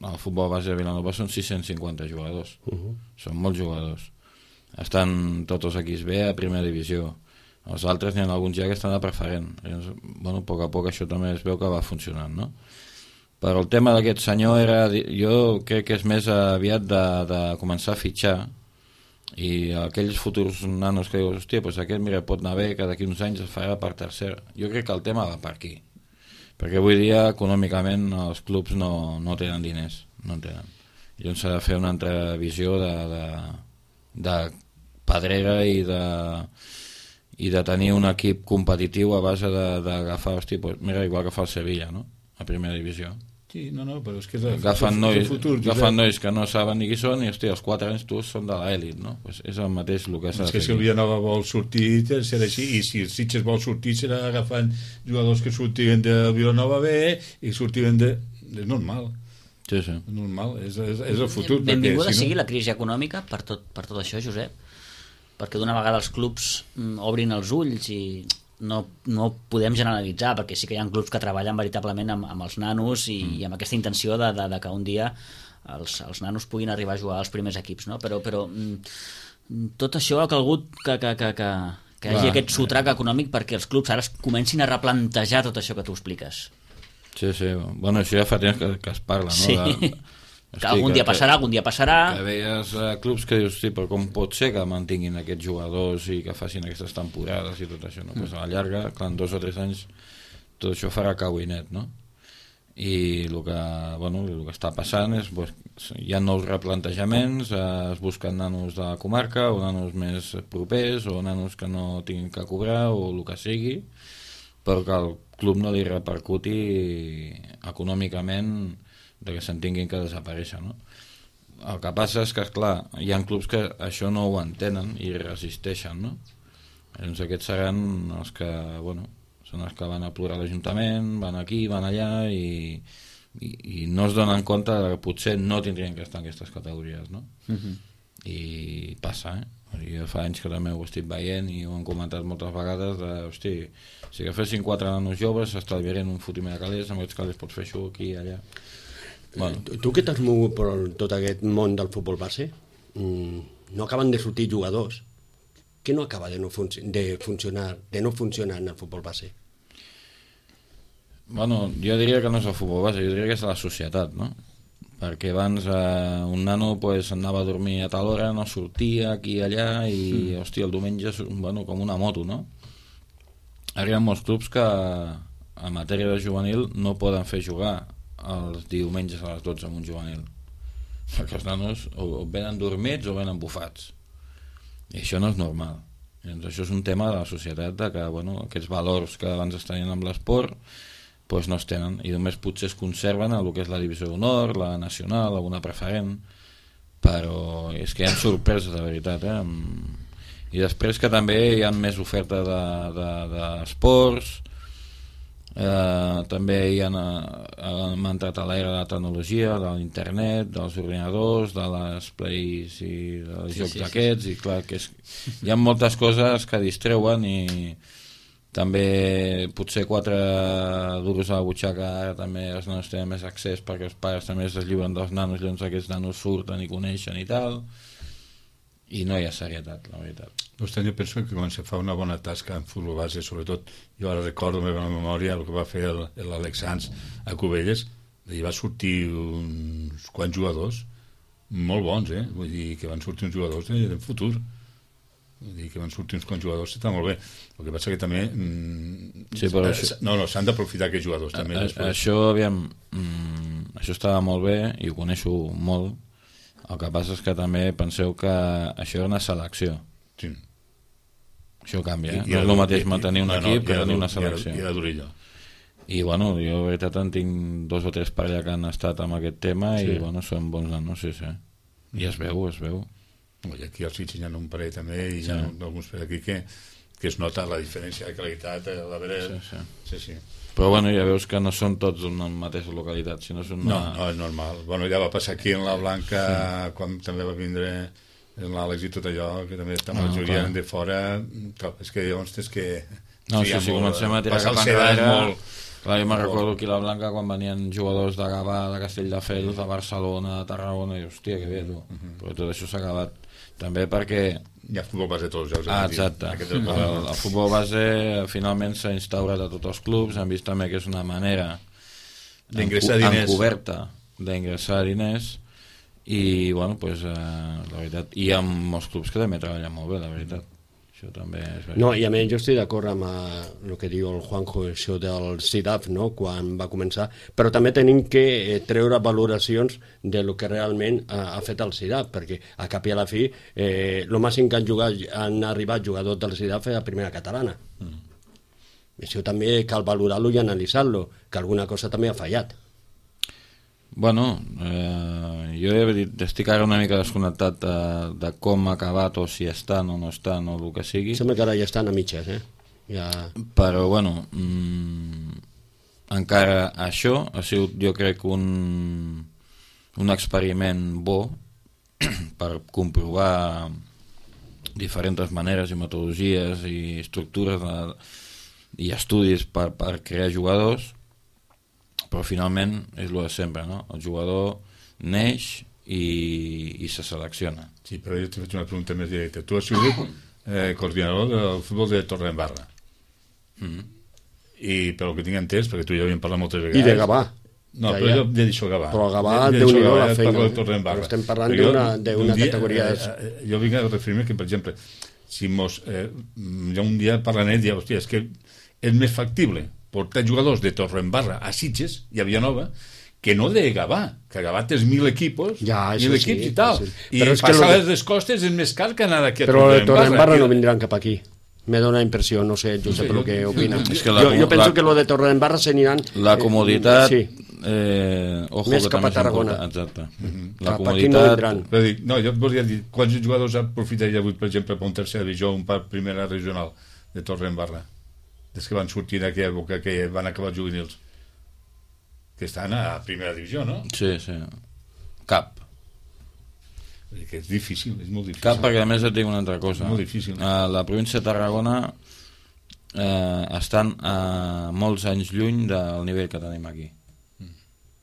el futbol base de Villanova són 650 jugadors, són molts jugadors, estan tots els equips B a primera divisió, els altres n'hi ha alguns ja que estan a preferent. Bueno, a poc això també es veu que va funcionant, no? Però el tema d'aquest senyor jo crec que és més aviat de començar a fitxar, i aquells futurs nanos que dius, hòstia, doncs aquest mira, pot anar bé, que d'aquí uns anys es farà per tercera. Jo crec que el tema va per aquí, perquè avui dia econòmicament els clubs no tenen diners, no en tenen. Llavors s'ha de fer una altra visió de pedrera i de tenir un equip competitiu a base d'agafar, hòstia, doncs mira, igual que fa el Sevilla, no?, a primera divisió.
Sí, no, però és que
agafen nois que no saben ni qui són i hòstia, els 4 anys tu són de l'elit, no? Pues és el mateix el que s'ha de fer.
És que si el Villanova vol sortir serà així, i si el Sitges vol sortir serà agafant jugadors que sortiven del Villanova B i sortiven de... és normal.
Sí.
És normal, és el futur.
Benvinguda sigui la crisi econòmica per tot això, Josep, perquè d'una vegada els clubs obrin els ulls i no podem generalitzar, perquè sí que hi ha clubs que treballen veritablement amb els nanos i amb aquesta intenció de que un dia els nanos puguin arribar a jugar als primers equips, no? Però tot això ha calgut que hi hagi aquest sotrac econòmic perquè els clubs ara es comencin a replantejar tot això que tu expliques.
Sí, bueno, això ja fa temps que es parla, no?
Sí. Que algun dia passarà.
Que veies clubs que dius, sí, però com pot ser que mantinguin aquests jugadors i que facin aquestes temporades i tot això, no? Pues a la llarga, clar, en 2 o 3 anys tot això farà cau i net, no? I el que està passant és pues, hi ha nous replantejaments, es busquen nanos de la comarca o nanos més propers o nanos que no tinguin que cobrar o el que sigui, però que el club no li repercuti econòmicament de que se'n tinguin que desaparèixer, no? El que passa és que, esclar, hi ha clubs que això no ho entenen i resisteixen, no? Llavors aquests seran els que, són els que van a plorar a l'Ajuntament, van aquí, van allà i no es donen compte que potser no tindrien que estar en aquestes categories, no? I passa, Jo fa anys que també ho estic veient i ho han comentat moltes vegades si agafessin 4 nanos joves s'estalviarien un fotimer de calés, amb aquests calés pots fer això aquí i allà.
Tu que t'has mogut per tot aquest món del futbol base, no acaben de sortir jugadors. Què no acaba de no funcionar en el futbol base?
Jo diria que no és el futbol base, jo diria que és la societat, no? Perquè abans un nano anava a dormir a tal hora, no sortia aquí i allà i el diumenge com una moto, no? Ara hi ha molts clubs que en matèria de juvenil no poden fer jugar els diumenges a les 12 amb un juvenil, perquè els nanos o venen dormits o venen bufats i això no és normal. Llavors això és un tema de la societat, de que aquests valors que abans es tenien amb l'esport no es tenen i només potser es conserven a el que és la divisió d'honor, la nacional, alguna preferent, però és que hi ha sorpreses de veritat, i després que també hi ha més oferta d'esports, també hem entrat a l'era de la tecnologia, de l'internet, dels ordinadors, de les plays i dels jocs d'aquests, i clar que hi ha moltes coses que distreuen i també potser 4 duros a la butxaca ara també els nanos tenen més accés perquè els pares també es deslliuren dels nanos, llavors aquests nanos surten i coneixen i tal, i no hi ha serietat, la veritat.
Vostè, jo penso que quan se fa una bona tasca en futbol base, sobretot jo ara recordo la meva memòria el que va fer l'Àlex Sans a Cubelles, i va sortir uns quants jugadors molt bons, vull dir que van sortir uns jugadors de futur, vull dir que van sortir uns quants jugadors, està molt bé. El que passa que també s'han d'aprofitar aquests jugadors també.
Això estava molt bé i ho coneixo molt. El que passa és que també penseu que això era una selecció.
Sí.
Això canvia, no és el mateix mantenir un equip que tenir una selecció.
I la Durilla.
I jo de veritat en tinc 2 o 3 per allà que han estat amb aquest tema i són bons nanos, sí. I es veu.
I aquí als Sitges hi ha un parell també i hi ha alguns per aquí que es nota la diferència de qualitat a la vera. Sí.
Però ja veus que no són tots en la mateixa localitat, sinó són
no, és normal. Ja va passar aquí en la Blanca quan també va vindre l'Àlex i tot allò, que també la majoria eren de fora. És que llavors és que
si comencem a tirar cap enrere. Clar, jo me'n recordo aquí a la Blanca quan venien jugadors de Gavà, de Castelldefels, de Barcelona, de Tarragona, i hòstia, que bé, tu. Però tot això s'ha acabat. També perquè...
Hi ha futbol base a tots els
jocs. Exacte. El futbol base finalment s'ha instaurat a tots els clubs, han vist també que és una manera encoberta d'ingressar diners i, la veritat, hi ha molts clubs que també treballen molt bé, la veritat. Això també és veritat.
No, i a més jo estic d'acord amb el que diu el Juanjo, això del CIDAF, no?, quan va començar, però també tenim que treure valoracions de lo que realment ha fet el CIDAF, perquè a cap i a la fi el màxim que han arribat jugadors del CIDAF a primera catalana. Això també cal valorar-lo i analitzar-lo, que alguna cosa també ha fallat.
Jo estic ara una mica desconnectat de com ha acabat o si estan o no estan o el que sigui.
Sembla que ara ja estan a mitges,
Però, encara això ha sigut, jo crec, un experiment bo per comprovar diferents maneres i metodologies i estructures i estudis per crear jugadors, però finalment és el de sempre, no? El jugador neix i se selecciona.
Sí, però jo t'he fet una pregunta més directa. Tu has sigut coordinador del futbol de Torredembarra. I pel que tinc entès, perquè tu ja havíem parlat moltes vegades...
I de Gavà.
No, però jo he dit Gavà.
Però Gavà, Déu-n'hi-do la feina.
Però
estem parlant d'una categoria...
Jo vinc a referir-me que, per exemple, si ja un dia per la net ja, hòstia, és que és més factible portar jugadors de Torredembarra a Sitges i a Villanova que no de Gavà, que a Gavà tens 1.000 equipos,
ja,
1.000 equips i tal.
Sí.
I passar les costes és més car que anar d'aquí a
Torredembarra. Però de Torredembarra no vindran cap aquí. Me dona impressió, no sé, Josep, el que opina. Jo penso que lo de Torredembarra s'aniran...
La comoditat...
Sí.
Ojo,
més
que
cap a
també
Tarragona.
Exacte.
La cap aquí no vindran.
No, jo et volia dir, quants jugadors aprofitaria avui, per exemple, per un tercera divisió o un per primera regional de Torredembarra? Des que van sortir en aquella època que van acabar juvenils. Que estan a primera divisió, no?
Sí. Cap.
Que és difícil, és molt difícil.
Cap, perquè a més et dic una altra cosa.
Molt difícil.
A la província de Tarragona estan molts anys lluny del nivell que tenim aquí.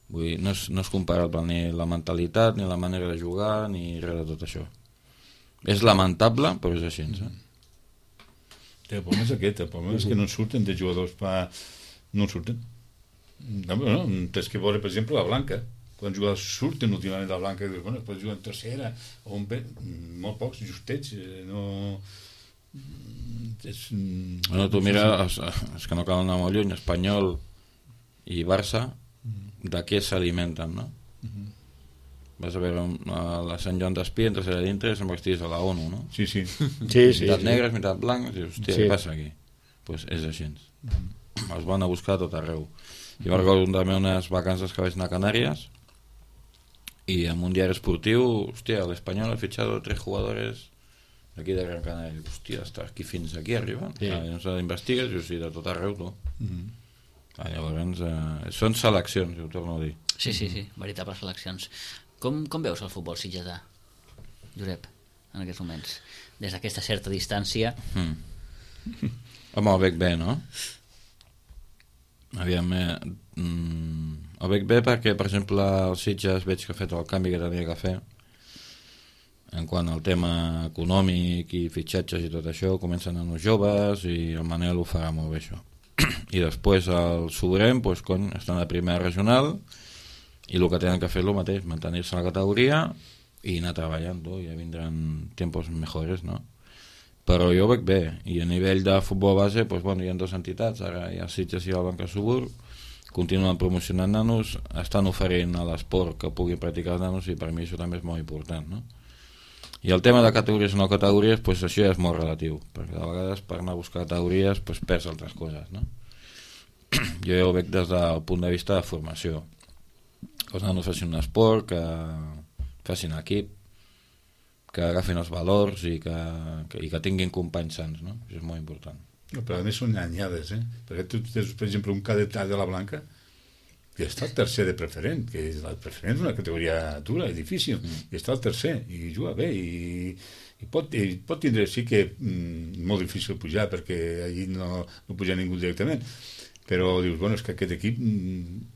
Vull dir, no és comparable ni la mentalitat, ni la manera de jugar, ni res de tot això. És lamentable, però és així,
El problema és aquest, el problema és que no en surten de jugadors no en surten. No, tens que veure, per exemple, la Blanca. Quants jugadors surten últimament de la Blanca, que bueno, pots jugar en tercera o en B, molt pocs, justets, no...
Bueno, tu mira, és que no cal anar molt lluny, Espanyol i Barça, de què s'alimenten, no? Vas a veure a la Sant Joan d'Espí, entres allà dintre i se'n vestís a la ONU, no?
Sí.
Mitat negres, mitat blancs, i dius, hòstia, què passa aquí? Pues és així. Els van a buscar a tot arreu. Jo recordo també unes vacances que vaig anar a Canàries y en un diario esportiu, hòstia, l'Espanyol ha fitxat 3 jugadores d'aquí de Gran Canària. Hòstia, està aquí fins aquí arriben. Llavors investigues i sí, de tot arreu, tu. Llavors, són seleccions, ho torno a dir.
Sí, veritables seleccions. Com veus el futbol sitgetà, Josep, en aquests moments? Des d'aquesta certa distància...
Home, el bec bé, no? Aviam, el bec bé perquè, per exemple, els Sitges veig que ha fet el canvi que tenia que fer en quant al tema econòmic i fitxatges i tot això, comencen a uns joves i el Manel ho farà molt bé, això. I després el Sobrem, doncs, cony, estan a primera regional i el que tenen que fer és el mateix, mantenir-se en la categoria i anar treballant, ja vindran tiempos mejores, no? Però jo ho veig bé, i a nivell de futbol base, doncs, bueno, hi ha 2 entitats, ara hi ha Sitges i el Blanca Subur, continuen promocionant nanos, estan oferint a l'esport que puguin practicar els nanos i per mi això també és molt important, no? I el tema de categories o no categories, doncs això ja és molt relatiu, perquè de vegades per anar a buscar categories doncs perds altres coses, no? Jo ja ho veig des del punt de vista de formació, que els nanos facin un esport, que facin equip, que agafin els valors i que tinguin companys sants, no? Això és molt important.
No, però a més són anyades, perquè tu tens, per exemple, un cadet de la Blanca que està el tercer de preferent, que la preferent és una categoria dura i difícil, i està el tercer, i juga bé, i pot tindre, sí que molt difícil pujar, perquè allí no puja ningú directament, però dius, bueno, és que aquest equip,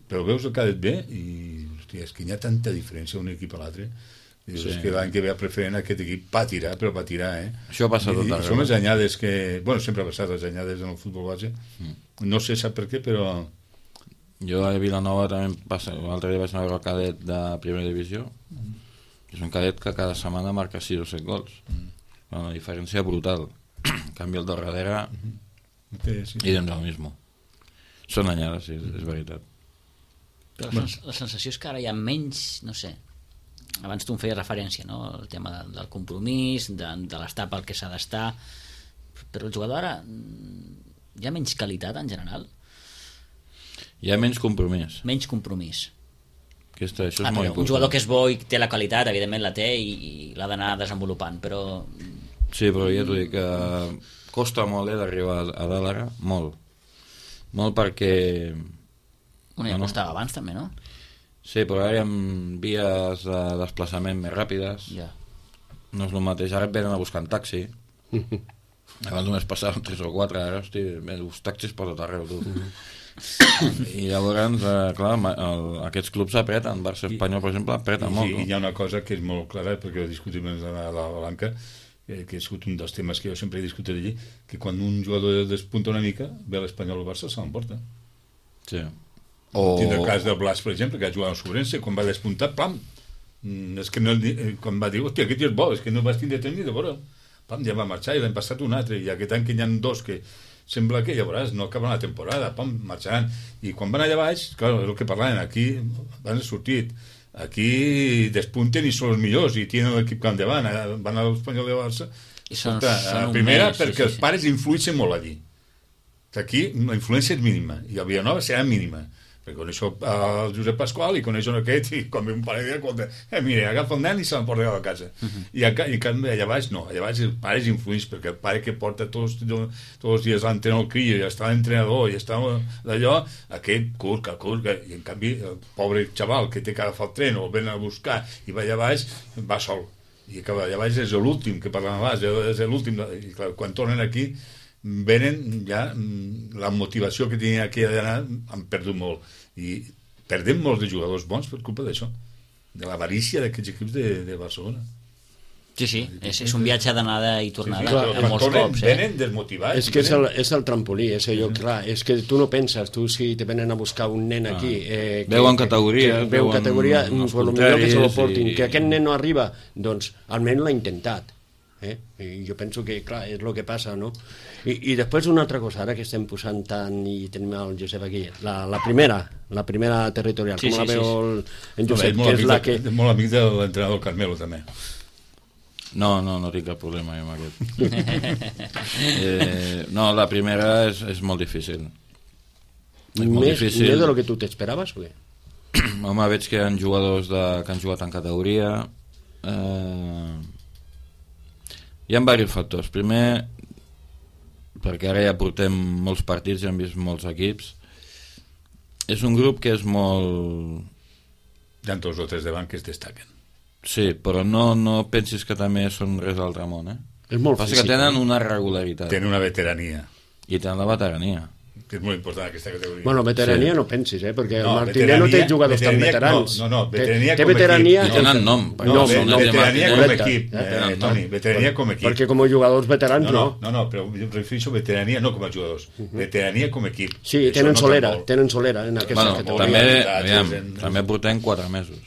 però veus el cadet bé, i hòstia, és que hi ha tanta diferència un equip a l'altre. Dius, és que l'any que ve a preferent aquest equip patirà,
Això passa tot arreu.
Són les anyades que... Bueno, sempre ha passat les anyades en el futbol base. No sé sap per què, però...
Jo a Vilanova també passa... L'altre dia vaig anar a veure el cadet de primera divisió. És un cadet que cada setmana marca 6 o 7 gols. Una diferència brutal. En canvi el de darrere i doncs el mismo. Són anyades, sí, és veritat.
Però la sensació és que ara hi ha menys, no sé, abans tu em feies referència, no? El tema del compromís, de l'estar pel que s'ha d'estar, però el jugador ara hi ha menys qualitat en general?
Hi ha menys compromís.
Menys compromís.
Això és molt important.
Un jugador que és bo i té la qualitat, evidentment la té i l'ha d'anar desenvolupant, però...
Sí, però ja t'ho dic, costa molt d'arribar a dalt ara, molt. Molt perquè...
Ja costava abans també, no?
Sí, però ara hi ha vies de desplaçament més ràpides. No és el mateix. Ara et venen a buscar en taxi. Abans només passaven 3 o 4, ara, hosti, els taxis per tot arreu, tu. I llavors, clar, aquests clubs apreten, Barça Espanyol, per exemple, apreta molt.
I hi ha una cosa que és molt clara, perquè ho discutim a la Blanca, que ha sigut un dels temes que jo sempre he discutit allí, que quan un jugador despunta una mica, ve l'Espanyol o el Barça, se l'emporta.
Sí.
Tinc el cas del Blas, per exemple, que ha jugat al Sobrense, quan va despuntar, pam! És que no, quan va dir, hòstia, aquest tio és bo, és que no vas tindre temps ni de veure. Pam, ja va marxar, i l'hem passat un altre, i aquest any que hi ha dos que sembla que, ja veuràs, no acaben la temporada, pam, marxaran. I quan van allà baix, clar, és el que parlaven, aquí van sortit, aquí despunten i són els millors i tenen l'equip que endavant, van a l'Espanyol de Barça
I són
primera
mes,
perquè els pares influeixen molt allí, aquí la influència és mínima i a Vilanova serà mínima, perquè coneixo el Josep Pasqual i coneixo aquest i quan ve un pare diu, mira, agafa el nen i se l'emporta a la casa. I allà baix no, allà baix els pares influeixen, perquè el pare que porta tots els dies l'entrenador el crio i està l'entrenador i està d'allò, aquest curca, i en canvi el pobre xaval que té que agafar el tren o el ven a buscar i va allà baix, va sol, i que allà baix és l'últim que parlàvem abans, és l'últim, i clar, quan tornen aquí venen ja la motivació que tenien aquí d'anar han perdut molt i perdem molts de jugadors bons per culpa d'això, de l'avarícia d'aquests equips de Barcelona.
Sí, és un viatge d'anada i tornada molts
tornen,
cops.
Venen desmotivats.
És que és el trampolí, és allò, clar, és que tu no penses, tu si te venen a buscar un nen aquí...
veuen categoria.
Veuen categoria, per lo millor que se lo portin.
I...
Que aquest nen no arriba, doncs almenys l'ha intentat. I jo penso que, clar, és el que passa, no? I després una altra cosa, ara que estem posant tant i tenim el Josep aquí, la primera territorial, com la veu en Josep, que és la que...
Molt amic de l'entrenador Carmelo, també.
No tinc cap problema amb aquest. No, la primera és molt difícil.
Més de lo que tu t'esperaves, o què?
Home, veig que hi ha jugadors que han jugat en categoria. Hi ha diversos factors. Primer, perquè ara ja portem molts partits i hem vist molts equips, és un grup que és molt...
Hi ha 2 o 3 davant que es destaquen.
Sí, però no pensis que també són res d'altre món,
És molt
Passa
físic.
que tenen una regularitat.
Tenen una veterania.
I tenen la veterania.
Que és molt important aquesta categoria.
Bueno, veterania no pensis, perquè el Martínez no té jugadors tan veterans.
No, veterania
té
com
veterania,
equip.
Tenen nom.
Veterania com
correcte.
equip, Toni, veterania com equip.
Perquè com a jugadors veterans no.
No, però em refereixo a veterania no com a jugadors. Veterania com equip.
Sí, tenen solera en aquesta categoria.
També portem 4 mesos.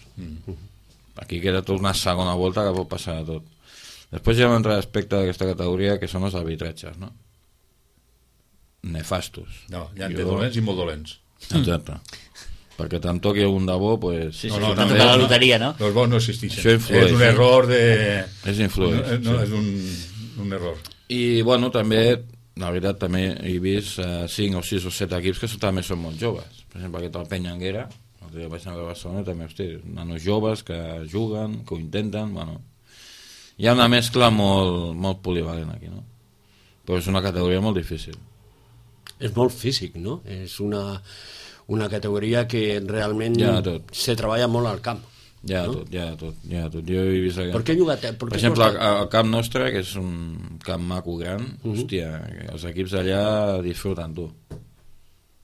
Aquí queda tot una segona volta que pot passar de tot. Després hi ha un altre aspecte d'aquesta categoria que són els arbitratges, no? Nefastos.
No, hi ha de dolents i molt dolents.
Exacte. Perquè te'n toqui un de bo, pues...
Sí, no, la loteria, no?
Els bons no existeixen.
Això influeix.
És un error de...
És influeix.
No, és un error.
I, bueno, també, la veritat, també he vist 5 o 6 o 7 equips que també són molt joves. Per exemple, aquest el Penyanguera, el dia vaig anar a Barcelona, també, hosti, nanos joves que juguen, que ho intenten, bueno... Hi ha una mescla molt polivalent aquí, no? Però és una categoria molt difícil.
És molt físic, no? És una categoria que realment se treballa molt al camp.
Ja, no? tot. Jo he vist...
Per què jugat?
Per exemple, el camp nostre, que és un camp maco gran, hòstia, els equips d'allà disfruten, tu.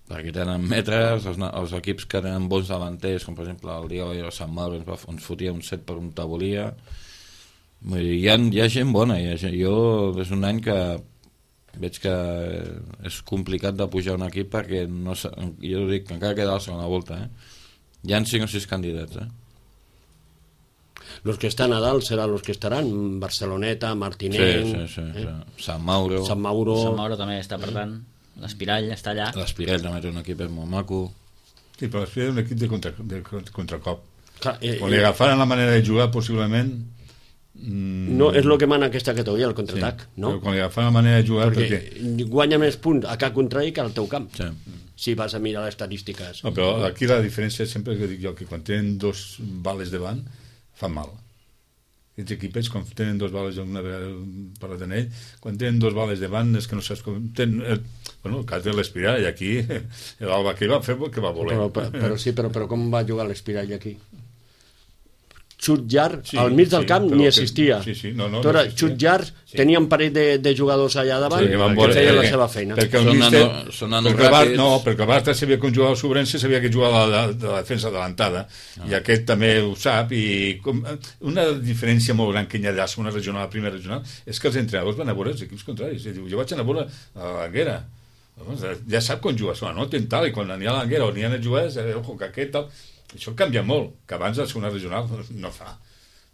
Perquè tenen metres, els equips que tenen bons davanters, com per exemple el dia de Sant Mauro ens fotia un 7 per un tabolia. Hi ha gent bona, jo és un any que veig que és complicat de pujar un equip perquè no, jo dic que encara queda la segona volta, hi ha 5 o 6 candidats,
Los que estan a dalt seran los que estaran Barceloneta, Martinenc,
sí. Sant Mauro
també està, per tant l'Espirall està allà.
L'Espirall també té un equip molt maco.
Sí, però l'Espirall és un equip de contracop.
Quan
li agafaran la manera de jugar possiblement
no és el que mana aquesta categoria, el contraatac, no?
Però quan li agafen la manera de jugar
perquè guanya més punts a cap contrari que al teu camp, si vas a mirar les estadístiques.
No, però aquí la diferència sempre que dic jo, que quan tenen 2 bales davant fan mal. Aquests equipets quan tenen 2 bales, una vegada parlat en ell, quan tenen 2 bales davant és que no saps com... Bueno, el cas de l'Espirall aquí l'Alba que va fer que va voler.
Però com va jugar l'Espirall aquí? xut llarg, al mig del camp ni existia.
No
xut llarg, tenia un parell de jugadors allà davant que feien la seva feina.
Perquè el Barça sabia que un jugador sobrense sabia que jugava de la defensa adelantada, i aquest també ho sap, i una diferència molt gran que hi ha allà, segona regional, la primera regional, és que els entrenadors van a veure els equips contraris. Jo vaig anar a veure a l'Anguera, ja sap quan juga, no té tal, i quan n'hi ha a l'Anguera o n'hi ha a jugar, ojo, que aquest tal... Això canvia molt, que abans la segona regional no fa,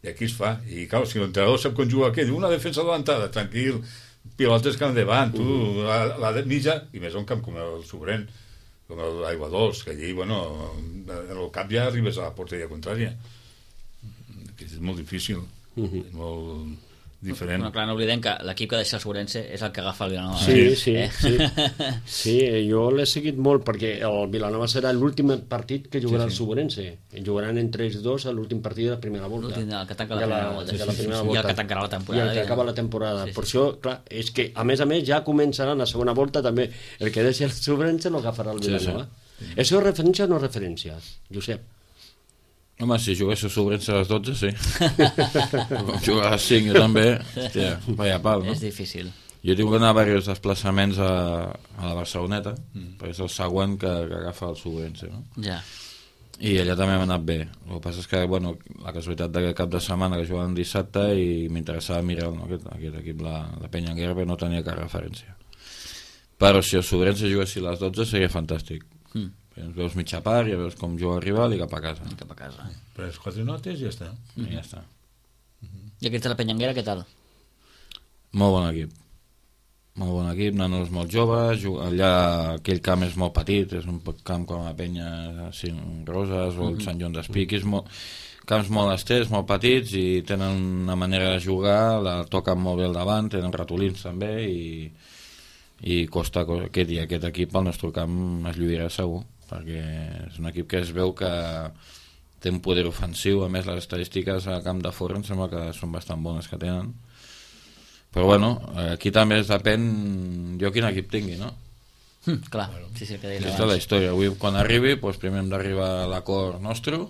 i aquí es fa. I clar, si l'entrenador sap com juga aquell, una defensa adelantada, tranquil, pilotes que endavant, tu, la mitja, i més un camp com el Sobrent, com l'Aigua Dols, que allí, bueno, en el cap ja arribes a la porteria contrària. És molt difícil, és molt diferent.
No, clar, no oblidem que l'equip que deixa el Sobrense és el que agafa el Vilanova.
Sí, jo l'he seguit molt, perquè el Vilanova serà l'últim partit que jugarà el Sobrense. Jugaran entre ells dos a l'últim partit de la primera volta.
El que tanca la primera volta. I el que tancarà la temporada.
I el que acaba la temporada. Per això, clar, és que a més ja començaran la segona volta també. El que deixa el Sobrense no agafarà el Vilanova. Això és referència o no referència, Josep?
Home, si jugués a Sobrense a les 12, sí. Com jugar a les 5, jo també. Hòstia, vaya pal, no?
És difícil.
Jo tinc d'anar a diversos desplaçaments a la Barceloneta, perquè és el següent que agafa el Sobrense, no?
Ja.
I allà també m'ha anat bé. El que passa és que, bueno, la casualitat d'aquest cap de setmana que jugàvem dissabte i m'interessava mirar aquest equip, la Penya Anguera, però no tenia cap referència. Però si el Sobrense juguessi a les 12 seria fantàstic. Ens veus mitja part, ja veus com juga el rival i cap a casa.
Però les 4 notes i ja està.
I ja està.
I aquesta la Penya Anguera, què tal?
Molt bon equip. Molt bon equip, nanos molt joves, allà aquell camp és molt petit, és un camp com la Penya Cinc Roses o el Sant Joan d'Espí, camps molt estès, molt petits, i tenen una manera de jugar, la toquen molt bé al davant, tenen ratolins també, i costa aquest equip al nostre camp es lluirà segur, perquè és un equip que es veu que té un poder ofensiu. A més, les estadístiques al camp de fora em sembla que són bastant bones que tenen, però bueno, aquí també es depèn jo quin equip tingui, no?
Clar, sí, que deies
aquesta és la història. Avui, quan arribi, doncs primer hem d'arribar a l'acord nostre,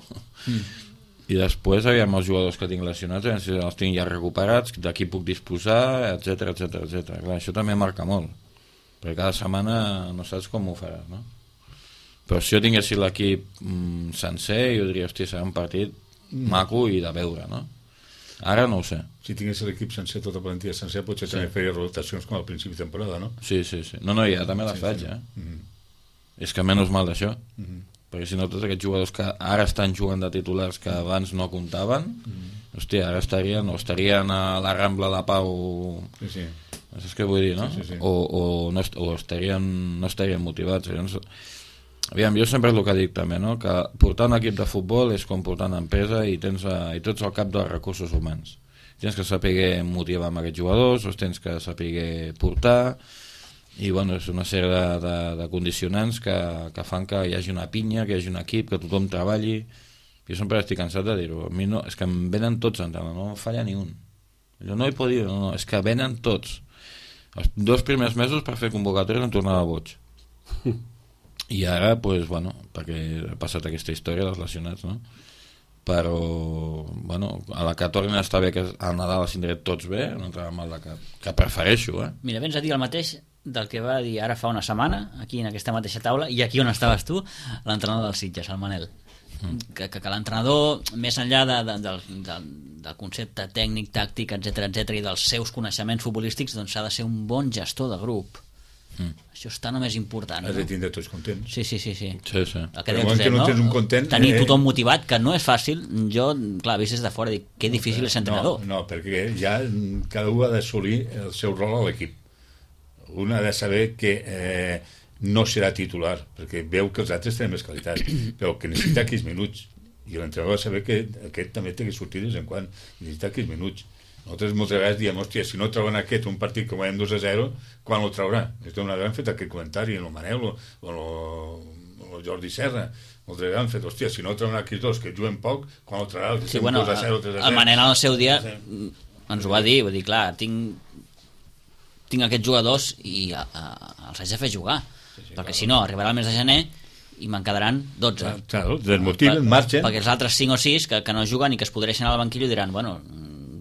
i després aviam els jugadors que tinc lesionats, si els tinc ja recuperats, de qui puc disposar, etc. Clar, això també marca molt, perquè cada setmana no saps com ho faràs, no? Però si jo tinguessi l'equip sencer, jo diria, hòstia, serà un partit maco i de veure, no? Ara no ho sé.
Si tingués l'equip sencer, tota plantilla sencer, potser també faria rotacions com al principi de temporada, no?
Sí. No, ja també la faig, És que menys mal d'això, perquè si no tots aquests jugadors que ara estan jugant de titulars que abans no comptaven, hòstia, ara estarien a la Rambla de Pau...
Sí.
Saps què vull dir, no?
Sí.
O no estarien motivats. Aviam, jo sempre és el que dic també, no? Que portar un equip de futbol és com portar una empresa i tots al cap dels recursos humans. Tens que saber motivar amb aquests jugadors, els tens que saber portar, i bueno, és una sèrie de condicionants que fan que hi hagi una pinya, que hi hagi un equip, que tothom treballi. Jo sempre estic cansat de dir-ho. A mi no, és que em venen tots, no falla ni un. Jo no hi puc dir, no, és que venen tots. Els 2 primers mesos per fer convocatòries em tornava boig. I ara, doncs, bueno, perquè ha passat aquesta història dels lesionats, no? Però, bueno, a la que tornin a estar bé, que a Nadal els tindré tots bé, no entrarà mal de cap, que prefereixo,
Mira, vens a dir el mateix del que va dir ara fa una setmana, aquí en aquesta mateixa taula, i aquí on estaves tu, l'entrenador del Sitges, el Manel. Que l'entrenador, més enllà del concepte tècnic, tàctic, etc i dels seus coneixements futbolístics, doncs ha de ser un bon gestor de grup. Això està només important,
has de tindre tots contents.
Sí.
El que no tens un content,
tenir tothom motivat, que no és fàcil. Jo, clar, vist des de fora, dic que difícil és entrenador.
No, perquè ja cada un ha d'assolir el seu rol a l'equip. Un ha de saber que no serà titular, perquè veu que els altres tenen més qualitat, però que necessita aquells minuts, i l'entrenador ha de saber que aquest també té que sortir de vegades en quan, necessita aquells minuts. Nosaltres moltes vegades diem, hòstia, si no treuen aquest un partit que guanyem 2-0, quan ho traurà? Una vegada hem fet aquest comentari, el Manel o el Jordi Serra, moltes vegades hem fet, hòstia, si no treuen aquests dos que juguen poc, quan ho traurà?
Sí, bueno,
2-0, 3-0.
El Manel al seu dia ens ho va dir, vull dir, clar, tinc aquests jugadors i els haig de fer jugar, perquè si no, arribarà el mes de gener i me'n quedaran 12.
Claro, desmotiven, marxen.
Perquè els altres 5 o 6 que no juguen i que es podreixen al banquillo diran, bueno,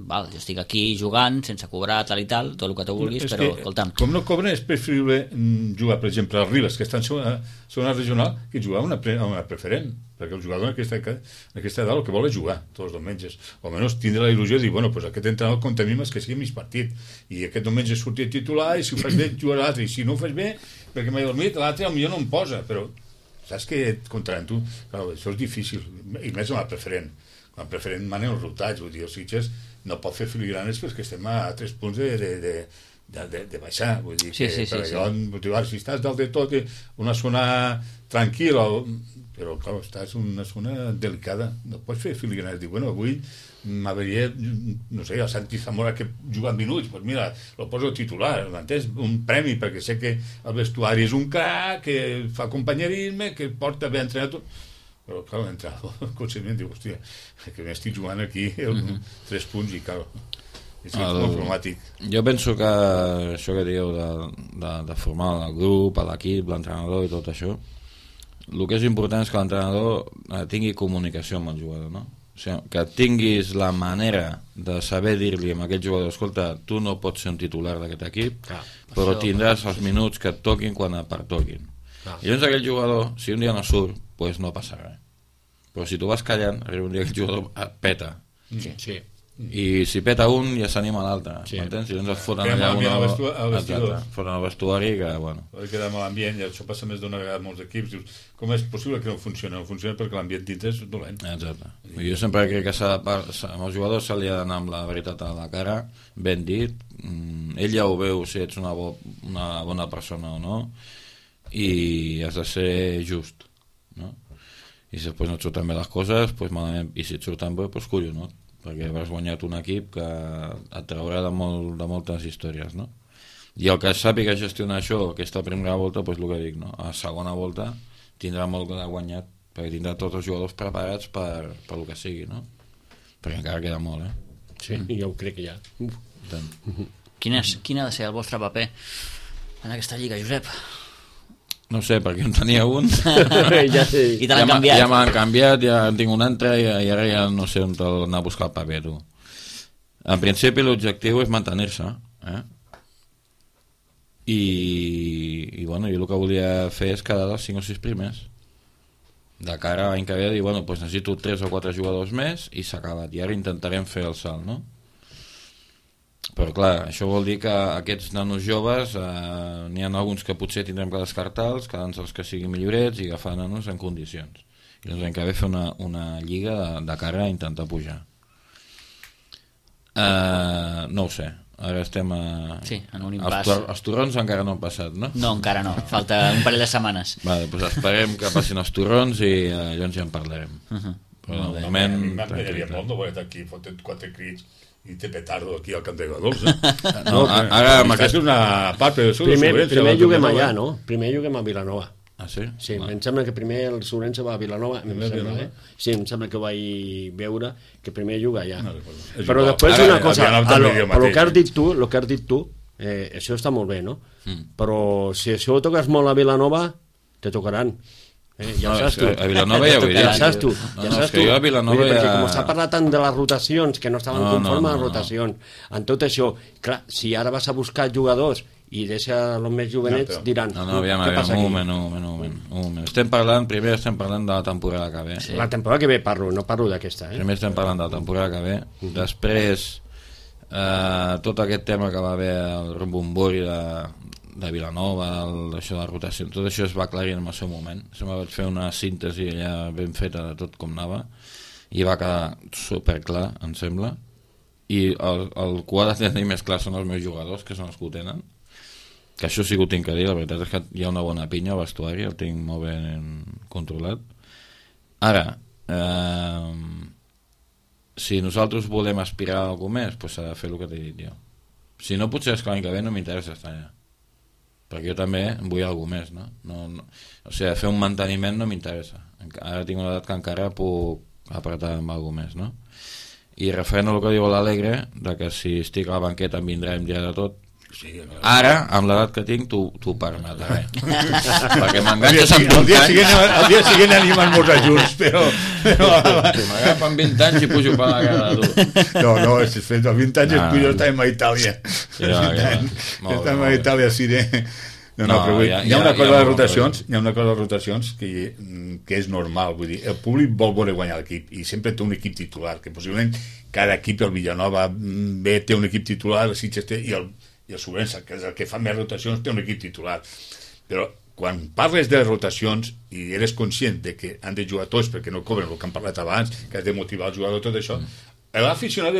val, jo estic aquí jugant sense cobrar tal i tal, tot el que tu vulguis, però escolta'm.
Com no cobren, és preferible jugar, per exemple, als Ribes, que estan a zona regional, que jugar a una preferent, perquè el jugador en aquesta edat el que vol és jugar tots els diumenges, o almenys tindre la il·lusió de dir, bueno, pues aquest entrenador compta a mi més que sigui mig partit, i aquest diumenge sortir titular, i si ho fas bé jugar l'altre, i si no ho fas bé perquè m'he dormit, l'altre potser no em posa, però saps que et comptaran tu? Clar, això és difícil, i més amb la preferent. Amb la preferent manen els rotats, vull dir, els Sitges no pot fer filigranes perquè estem a 3 punts de baixar, vull dir,
sí.
Si estàs dalt de tot, una zona tranquil·la, però clar, estàs en una zona delicada, no pots fer filigranes, dir, bueno, avui m'hauria, no sé, a Santi Zamora que juga en minuts, doncs mira, lo poso titular, m'entens? Un premi, perquè sé que el vestuari és un crac, que fa companyerisme, que porta bé entrenat, però clar, l'entrenador conscientment diu, hòstia, que m'estic jugant aquí 3 punts i clar, és molt problemàtic.
Jo penso que això que dieu de formar el grup, l'equip, l'entrenador i tot això, el que és important és que l'entrenador tingui comunicació amb el jugador, no? O sigui, que tinguis la manera de saber dir-li a aquell jugador, escolta, tu no pots ser un titular d'aquest equip, però tindràs els minuts que et toquin quan et pertoquin. I llavors aquell jugador, si un dia no surt, doncs no passa res. Però si tu vas callant, arriba un dia que el jugador et peta.
Sí.
I si peta un ja s'anima l'altre, m'entens? I llavors et foten allà foten al vestuari que, bueno,
queda mal ambient, i això passa més d'una vegada a molts equips, dius, com és possible que no funcioni? No funciona perquè l'ambient dintre és dolent.
Exacte. Jo sempre crec que amb els jugadors se li ha d'anar amb la veritat a la cara, ben dit, ell ja ho veu si ets una bona persona o no, i has de ser just, no? I si després no et surten bé les coses, doncs malament, i si et surten bé, doncs collonut, perquè has guanyat un equip que et traurà de moltes històries, no? I el que sàpiga gestionar això, aquesta primera volta, doncs el que dic, no? A la segona volta tindrà molt de guanyat, perquè tindrà tots els jugadors preparats per el que sigui, no? Perquè encara queda molt,
Sí, jo ho crec que ja.
Quin ha de ser el vostre paper en aquesta lliga, Josep?
No sé, perquè en tenia un
I te l'han canviat.
Ja m'han canviat, ja en tinc un altre i ara ja no sé on anar a buscar el paper, tu. En principi l'objectiu és mantenir-se, i bueno, jo el que volia fer és quedar dels 5 o 6 primers de cara a l'any que ve, dir, bueno, doncs necessito 3 o 4 jugadors més i s'ha acabat, i ara intentarem fer el salt, no? Però clar, això vol dir que aquests nanos joves n'hi ha alguns que potser tindrem que descartar-los, quedant-se els que siguin millorets i agafar nanos en condicions, i doncs l'any que ve fer una lliga de cara a intentar pujar. No ho sé, ara estem
en un impàs.
Els torrons encara no han passat, no?
No, encara no, falta un parell de setmanes.
Vale, doncs esperem que passin els torrons i llavors ja en parlarem. Però de moment
m'agradaria molt no veure aquí fotent 4 crits i té petardo aquí al Camp de Godols,
No, ara
és una part, però
primer juguem allà, no? Primer juguem a Vilanova.
Ah, sí?
Sí, em sembla que primer el Sobrense va a Vilanova, sí, em sembla que vaig veure que primer juga allà. Però després una cosa, el que has dit tu, això està molt bé, no? Però si això ho toques molt a Vilanova, te tocaran. Ja ho saps tu.
A Vilanova ja ho he dit.
Ja saps tu.
Jo a Vilanova
perquè com s'ha parlat tant de les rotacions, que no estaven conformes a les rotacions, en tot això, clar, si ara vas a buscar jugadors i deixa els més jovenets, diran, què passa aquí?
Un moment. Primer estem parlant de la temporada que ve.
La temporada que ve no parlo d'aquesta.
Primer estem parlant de la temporada que ve, després tot aquest tema que va haver el rumbombori de Vilanova, això de la rotació, tot això es va aclarir en el seu moment. Se va fer una síntesi allà ben feta de tot com anava i va quedar superclar, em sembla, i el que ho ha de tenir més clar són els meus jugadors, que són els que ho tenen, que això sí que ho tinc que dir, la veritat és que hi ha una bona pinya al vestuari, el tinc molt ben controlat. Ara, si nosaltres volem aspirar a alguna més, doncs s'ha de fer el que t'he dit jo. Si no, potser és que l'any que ve no m'interessa estar allà, perquè jo també vull alguna més, no? O sigui, fer un manteniment no m'interessa. Ara tinc una edat que encara puc apretar amb alguna més, no? I referent al que diu l'Alegre, de que si estic a la banqueta em vindrà i em dirà de tot,
Sí,
Ara, amb l'edat que tinc, t'ho permetré. Perquè m'enganxes amb
el dia següent anem a esmorzar junts, però...
M'agafen 20 anys i pujo per la cara, tu.
No, és fet als 20 anys és millor estar a Itàlia. Estar a Itàlia, sí, però hi ha una cosa de rotacions, que és normal, vull dir, el públic vol veure guanyar l'equip i sempre té un equip titular, que possiblement cada equip, el Villanova B té un equip titular, el Sitges té, i el Sobrença, que és el que fa més rotacions, té un equip titular. Però quan parles de rotacions i eres conscient de que han de jugar tots perquè no cobren el que han parlat abans, que has de motivar el jugador, tot això, l'aficionat,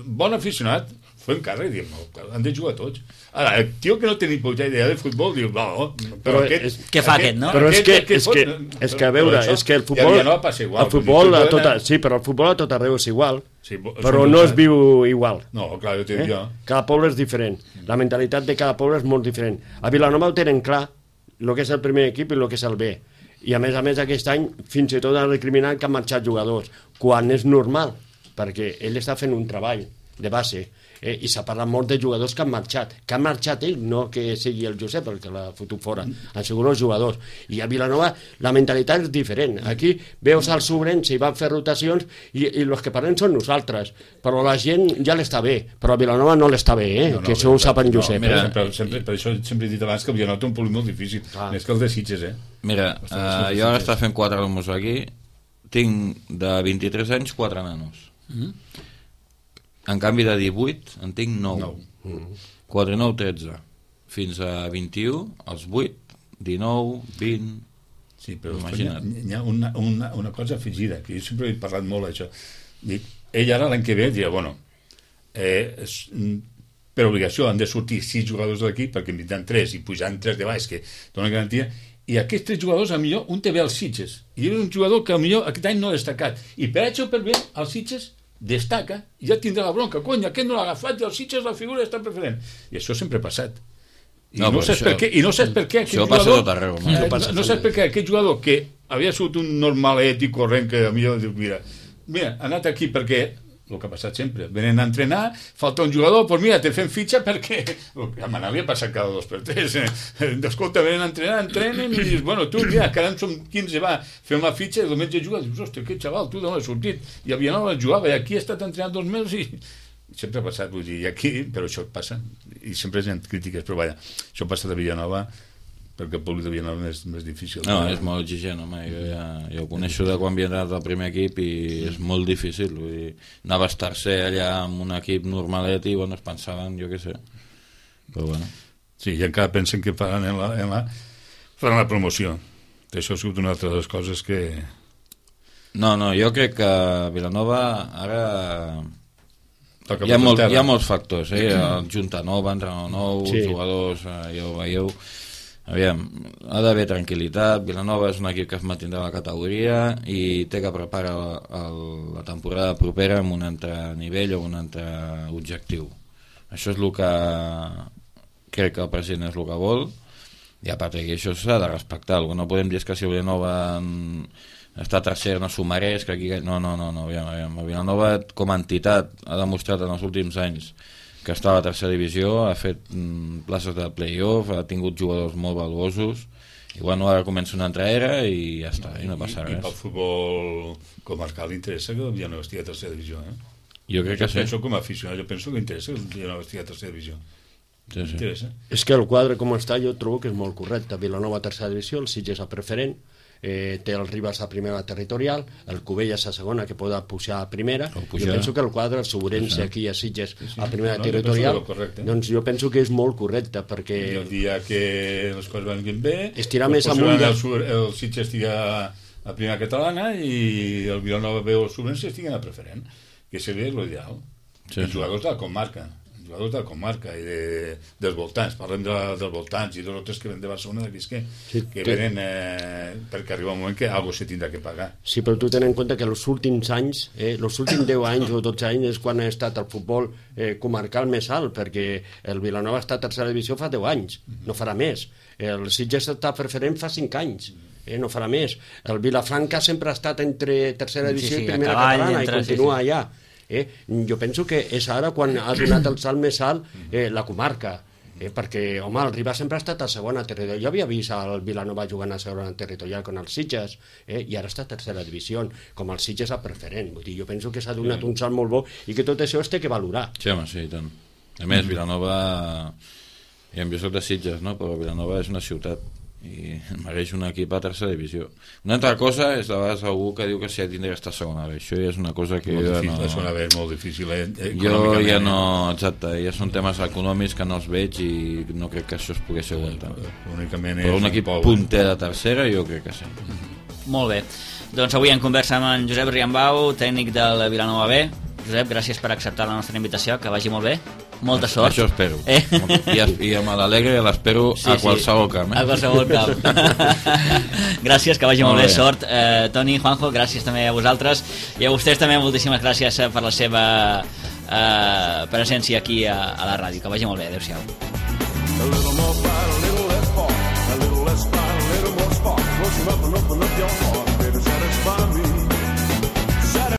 bon aficionat, fem càrrec, diem, no, han de jugar tots. Ara, el tio que no té ni puta idea de futbol diu, no, però aquest...
Què fa aquest, no?
Però és que a veure, és que el futbol... El futbol a tot... Sí, però el futbol a tot arreu és igual, però no es viu igual.
No, clar, jo t'he dit jo.
Cada poble és diferent. La mentalitat de cada poble és molt diferent. A Vilanova ho tenen clar, el que és el primer equip i el que és el B. I a més aquest any fins i tot han recriminat que han marxat jugadors, quan és normal, perquè ell està fent un treball de base, i s'ha parlat molt de jugadors que han marxat ell, no que sigui el Josep el que l'ha fotut fora, han sigut els jugadors, i a Vilanova la mentalitat és diferent. Aquí veus el Sobrense i van fer rotacions i els que parlem són nosaltres, però la gent ja l'està bé, però a Vilanova no l'està bé, que això ho sap en Josep.
Mira, per això sempre he dit abans que el Vilanova té un públic molt difícil, més que el de Sitges.
Mira, jo ara està fent 4 alumnes aquí, tinc de 23 anys 4 nanos. En canvi de 18 en tinc 9. 4 i 9, 13. Fins a 21, els 8, 19, 20...
Sí, però hi ha una cosa afegida, que jo sempre he parlat molt d'això. Ell ara l'any que ve dirà, bueno, per obligació han de sortir 6 jugadors d'aquí, perquè en vindran 3 i pujant 3 de baix, que donen garantia, i aquests 3 jugadors, a millor, un té bé als Sitges, i és un jugador que a millor aquest any no ha destacat, i per això per bé, als Sitges destaca i ja tindrà la bronca, cony, aquest no l'ha agafat i els Sitges la figura està preferent, i això sempre ha passat i no saps per què aquest jugador no saps per què aquest jugador que havia sigut un normalet i corrent que a millor diu, mira, ha anat aquí perquè el que ha passat sempre, venen a entrenar, falta un jugador, doncs mira, te fem fitxa perquè a Manali ha passat cada 2 per 3 escolta, venen a entrenar, entrenen i dius, bueno, tu, mira, que ara en som 15 va, fem la fitxa i el diumenge juga, dius, hòstia, aquest xaval, tu d'on has sortit? I a Vilanova jugava i aquí ha estat entrenant 2 mesos i sempre ha passat, vull dir, i aquí, però això passa i sempre hi ha crítiques, però vaja, això passa de Vilanova perquè el públic de Vilanova és més difícil.
No, és molt exigent, home. Jo ho coneixo de quan havia anat al primer equip i és molt difícil. Vull dir, anaves tercer allà amb un equip normalet i bueno, es pensaven, jo què sé. Però bueno.
Sí, i encara pensen que faran faran la promoció. Això ha sigut una altra de les coses que...
No, jo crec que Vilanova ara... Hi ha molts factors, Junta nova, entrenador nou, jugadors, ja ho veieu. Aviam, ha d'haver tranquil·litat. Vilanova és un equip que es mantindrà a la categoria i té que preparar la temporada propera amb un altre nivell o un altre objectiu. Això és el que crec que el president és el que vol i a part d'aquí això s'ha de respectar. El que no podem dir és que si Vilanova està tercer no s'ho mereix, que aquí... No, aviam. Vilanova com a entitat ha demostrat en els últims anys que està a la tercera divisió, ha fet places de play-off, ha tingut jugadors molt valuosos, i bueno, ara comença una altra era i ja està, i no passa res.
I pel futbol comarcal interessa que el Vilanova estigui a tercera divisió,
Jo crec que sí.
Penso com a aficionat, jo penso que interessa que el Vilanova estigui a tercera divisió.
Sí.
Interessa.
És que el quadre com està jo trobo que és molt correcte. Vilanova a tercera divisió, el Sitges a preferent, té el Ribas a primera territorial, el Cubelles a segona que pot pujar a primera. Jo penso que el quadre, el Sobrense aquí a Sitges a primera territorial, doncs jo penso que és molt correcte perquè...
I el dia que les coses van bé
estirar més amunt
el Sitges estigui a primera catalana i el Vilanova B o el Sobrense estiguen a preferent, que seria l'ideal. Els jugadors de la comarca i dels voltants, parlem dels voltants i dels altres que ven de Barcelona que venen perquè arriba un moment que algo se tindrà que pagar.
Sí, però tu ten en compte que els últims anys, els últims 10 anys o 12 anys és quan ha estat el futbol comarcal més alt, perquè el Vilanova està a tercera divisió fa 10 anys, no farà més. El Sitges està preferent fa 5 anys, no farà més. El Vilafranca sempre ha estat entre tercera divisió i primera catalana i continua allà. Jo penso que és ara quan ha donat el salt més alt la comarca. perquè, home, el Ribas sempre ha estat a segona territorial. Jo havia vist el Vilanova jugant a segona territorial con els Sitges, i ara està a tercera divisió, com els Sitges a preferent. Vull dir, jo penso que s'ha donat un salt molt bo i que tot això es té que valorar.
Sí, home, sí, i tant. A més, Vilanova... Jo soc de Sitges, no? Però Vilanova és una ciutat i mereix un equip a tercera divisió. Una altra cosa és de vegades algú que diu que si tindria que estar a segona B. Això ja és una cosa que
molt
jo
difícil,
no...
la segona B és molt difícil,
Jo ja no... Exacte, ja són temes econòmics que no els veig i no crec que això es pogués aguantar.
Únicament
però un equip punter de tercera jo crec que sí.
Molt bé. Doncs avui en conversa amb en Josep Riambau, tècnic del Vilanova B. Josep, gràcies per acceptar la nostra invitació, que vagi molt bé. Molta sort.
Això espero. I amb l'Alegre l'espero a qualsevol camp.
A qualsevol camp. Gràcies, que vagi molt bé. Sort. Toni, Juanjo, gràcies també a vosaltres. I a vostès també moltíssimes gràcies per la seva presència aquí a la ràdio. Que vagi molt bé. Adéu-siau.